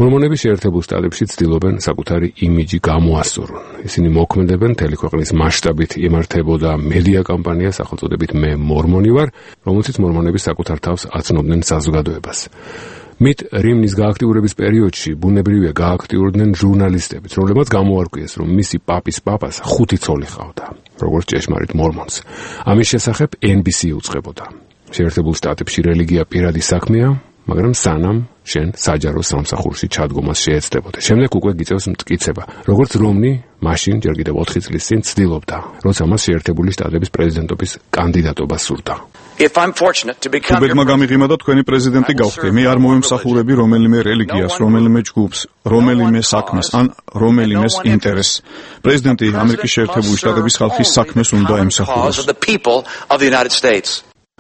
მორმონები შეერთებულ შტატებში ცდილობენ საკუთარი იმიჯი გამოასწორონ. ისინი მოქმედებენ მთელი ქვეყნის მასშტაბით იმართებოდა მედია კამპანია სახელწოდებით მე მორმონი ვარ, რომელშიც მორმონები საკუთარ თავს აცნობდნენ საზოგადოებას. მით რიმნის გააქტიურების პერიოდში ბუნებრივია გააქტიურდნენ ჟურნალისტებიც, რომლებმაც გამოარკვიეს, რომ მისი პაპის პაპას ხუთი ცოლი ჰყავდა, როგორც ჭეშმარიტ მორმონს. ამის შესახებ ენ ბი სი უწყებოდა. შეერთებულ შტატებში რელიგია პირადი საქმეა, მაგრამ სანამ შენ საჯარო სამსახურში ჩადგომას შეეცდებოდა. შემდეგ უკვე გიწევს მტკიცება, როგორც რომნი მაშინ ჯერ კიდევ ოთხი წლის წინ ცდილობდა, როცა მას შეერთებული შტატების პრეზიდენტობის კანდიდატობა სურდა. უბედმა გამიღიმა და თქვენი პრეზიდენტი გავხდე. მე არ მოვემსახურები რომელიმე რელიგიას, რომელიმე ჯგუფს, რომელიმე საქმეს ან რომელიმეს ინტერესს. პრეზიდენტი ამერიკის შეერთებული შტატების ხალხის საქმეს უნდა ემსახუროს.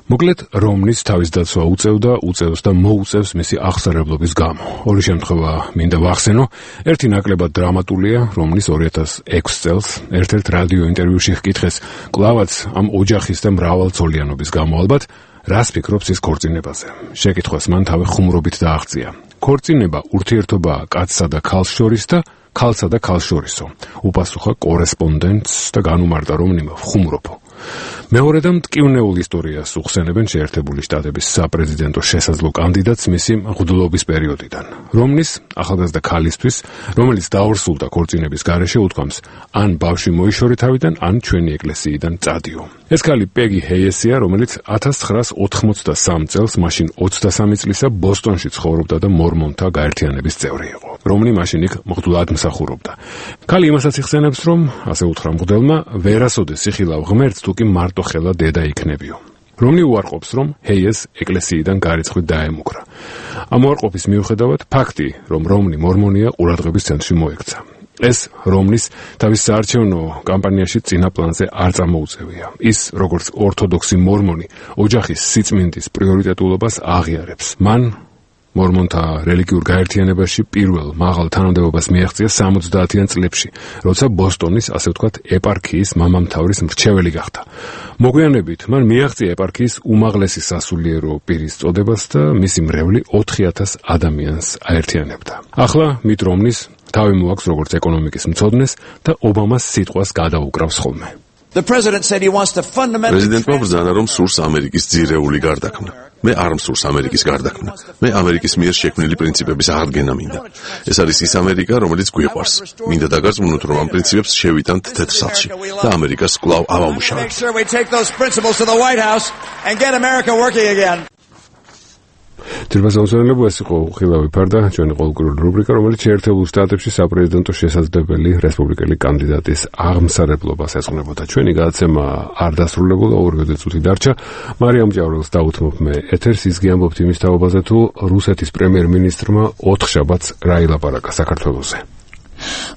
მოკლედ, რომნის თავის დაცვა უწევდა, უწევს და მოუწევს მისი აღსარებლობის გამო. ორი შემთხვევა მინდა ვახსენო. ერთი ნაკლებად დრამატულია, რომნის ორი ათას ექვსი წელს ერთ-ერთ რადიო ინტერვიუში ჰკითხეს, კლავაც ამ ოჯახის და მრავალცოლიანობის გამო ალბათ, რას ფიქრობს ის ქორწინებაზე. შეკითხვას მან თავი ხუმრობით დააღწია. ქორწინება ურთიერთობაა კაცსა და ქალს შორის და ქალსა და ქალს შორისო. უპასუხა კორესპონდენტს და განუმარტა რომნიმ ხუმრობო. მეორე და მტკივნეულ ისტორიას უხსენებენ შეერთებული შტატების საპრეზიდენტო შესაძლო კანდიდატს მისი მღვდლობის პერიოდიდან. რომნის ახალგაზრდა ქალისთვის, რომელიც დაორსულდა ქორწინების გარეშე, უთქვამს, ან ბავშვი მოიშორე თავიდან, ან ჩვენი ეკლესიიდან წადიო. ეს ქალი პეგი ჰეიესია, რომელიც ათას ცხრაას ოთხმოცდასამ წელს, მაშინ ოცდასამი წლისა ბოსტონში ცხოვრობდა და მორმონთა გაერთიანების წევრი იყო. რომნი მაშინ იქ მღვდლად მსახურობდა. ქალი იმასაც იხსენებს, რომ ასე უთხრა მღვდელმა, ვერასოდეს იხილავ ღმერთს, თუკი მარტო ხელა დედა იქნებიო. რომნი უარყოფს, რომ ჰეიეს ეკლესიიდან გარიცხვით დაემუქრა. ამ უარყოფის მიუხედავად, ფაქტი, რომ რომნი მორმონია, ყურადღების ცენტრში მოექცა. ეს რომნის თავის საარჩევნო კამპანიაში წინა პლანზე არ წამოუწევია. ის, როგორც ორთოდოქსი მორმონი, ოჯახის სიწმინდის პრიორიტეტულობას აღიარებს. მან მორმონთა რელიგიურ გაერთიანებაში პირველ მაღალ თანამდებობას მიაღწია სამოცდაათიან წლებში, როცა ბოსტონის, ასე ვთქვათ, ეპარქიის მამამთავრის მრჩეველი გახდა. მოგვიანებით მან მიაღწია ეპარქიის უმაღლესი სასულიერო პირის წოდებას და მისი მრევლი ოთხი ათას ადამიანს აერთიანებდა. ახლა მით რომნის თავი მოაქვს როგორც ეკონომიკის მცოდნეს და ობამას სიტყვას გადაუკრავს ხოლმე. პრეზიდენტმა ბრძანა, რომ სურს ამერიკის ძირეული გარდაქმნა. მე არ მსურს ამერიკის გარდაქმნა. მე ამერიკის მიერ შექმნილი პრინციპების აღდგენა მინდა. ეს არის ის ამერიკა, რომელიც გვიყვარს. მინდა დაგარწმუნოთ, რომ ამ პრინციპებს შევიტანთ თეთრ სახლში და ამერიკას კვლავ ავამუშავებთ. ძირფასაუსვენებლო ეს იყო ხილავი ფარდა, ჩვენი ყოველკვირეული რუბრიკა, რომელიც შეერთებულ შტატებში საპრეზიდენტო შესაძლებელი რესპუბლიკელი კანდიდატის აღმსარებლობას ეძღვნებოდა. ჩვენი გადაცემა არ დასრულებულა, ორი წუთი დარჩა. მარიამ ჭავრელს დაუთმობ მე ეთერს, ის გიამბობთ იმის თაობაზე, თუ რუსეთის პრემიერ-მინისტრმა ოთხშაბათს რა ილაპარაკა საქართველოზე.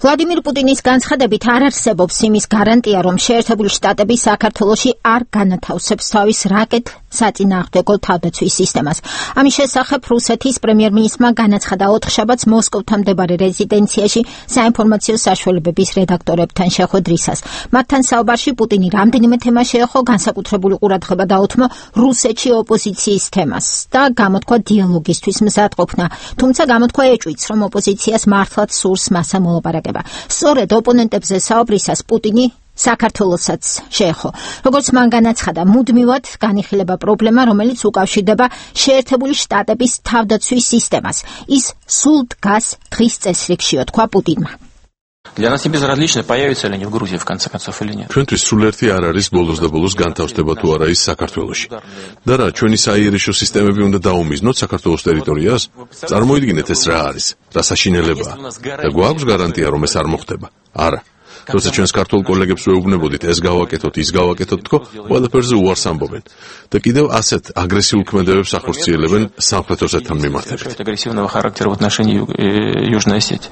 ვლადიმირ პუტინის განცხადებით არ არსებობს იმის გარანტია, რომ შეერთებული შტატები საქართველოში არ განათავსებს თავის რაკეტ საწინააღმდეგო თავდაცვის სისტემას. ამის შესახებ რუსეთის პრემიერ-მინისტრმა განაცხადა ოთხშაბათს მოსკოვთან მდებარე რეზიდენციაში საინფორმაციო საშუალებების რედაქტორებთან შეხვედრისას. მათთან საუბარში პუტინი რამდენიმე თემა შეეხო, განსაკუთრებული ყურადღება დაუთმო რუსეთში ოპოზიციის თემას და გამოთქვა დიალოგისთვის მზადყოფნა, თუმცა გამოთქვა ეჭვიც, რომ ოპოზიციას მართლაც სურს მასა მოლაპარაკება. სწორედ ოპონენტებზე საუბრისას პუტინი საქართველოსაც შეეხო. როგორც მან განაცხადა, მუდმივად განიხილება პრობლემა, რომელიც უკავშირდება შეერთებული შტატების თავდაცვის სისტემას. ის სულ დგას დღის წესრიგშიო, თქვა პუტინმა. Для нас не безразлично, появятся ли они в Грузии в конце концов или нет. ჩვენთვის სულერთი არ არის ბოლოს და ბოლოს განთავსდება თუ არა ის საქართველოში. და რა, ჩვენი საიერიშო სისტემები უნდა დაუმიზნოთ საქართველოს ტერიტორიას? წარმოიდგინეთ ეს რა არის, რა საშინელებაა. და გვაქვს გარანტია რომ ეს არ მოხდება? არა. თორსა ჩვენს ქართულ კოლეგებს ვეუბნებოდით ეს გავაკეთოთ, ის გავაკეთოთ თქო, ყველაფერზე უარს ამბობენ. და კიდევ ასეთ აგრესიულ ქმედებებს ახორციელებენ სამხრეთ ოსეთთან მიმართებით. Агрессивного характера в отношении Южной Осетии.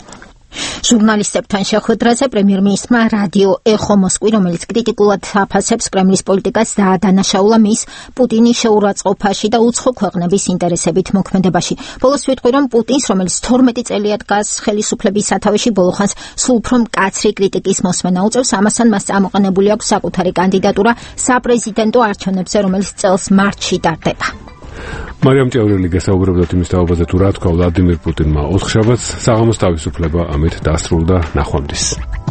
ჟურნალისტებთან შეხვედრაზე პრემიერ-მინისტრმა რადიო ეხო მოსკვი, რომელიც კრიტიკულად აფასებს კრემლის პოლიტიკას, დაადანაშაულა მის პუტინის შეურაცხყოფაში და უცხო ქვეყნების ინტერესებით მოქმედებაში. ბოლოს ვიტყვი, რომ პუტინს, რომელიც თორმეტი წელია დგას ხელისუფლების სათავეში, ბოლოხანს სულ უფრო მკაცრი კრიტიკის მოსმენა უწევს. ამასთან მას წამოყენებული აქვს საკუთარი კანდიდატურა საპრეზიდენტო არჩევნებზე, რომელიც წელს მარტში ტარდება. მარიამ ჭევრელი გასაუბრებდა იმის თაობაზე თუ რა თქვა ვლადიმირ პუტინმა ოთხშაბათს საღამოს თავისუფლება ამით დასრულდა. ნახვამდის.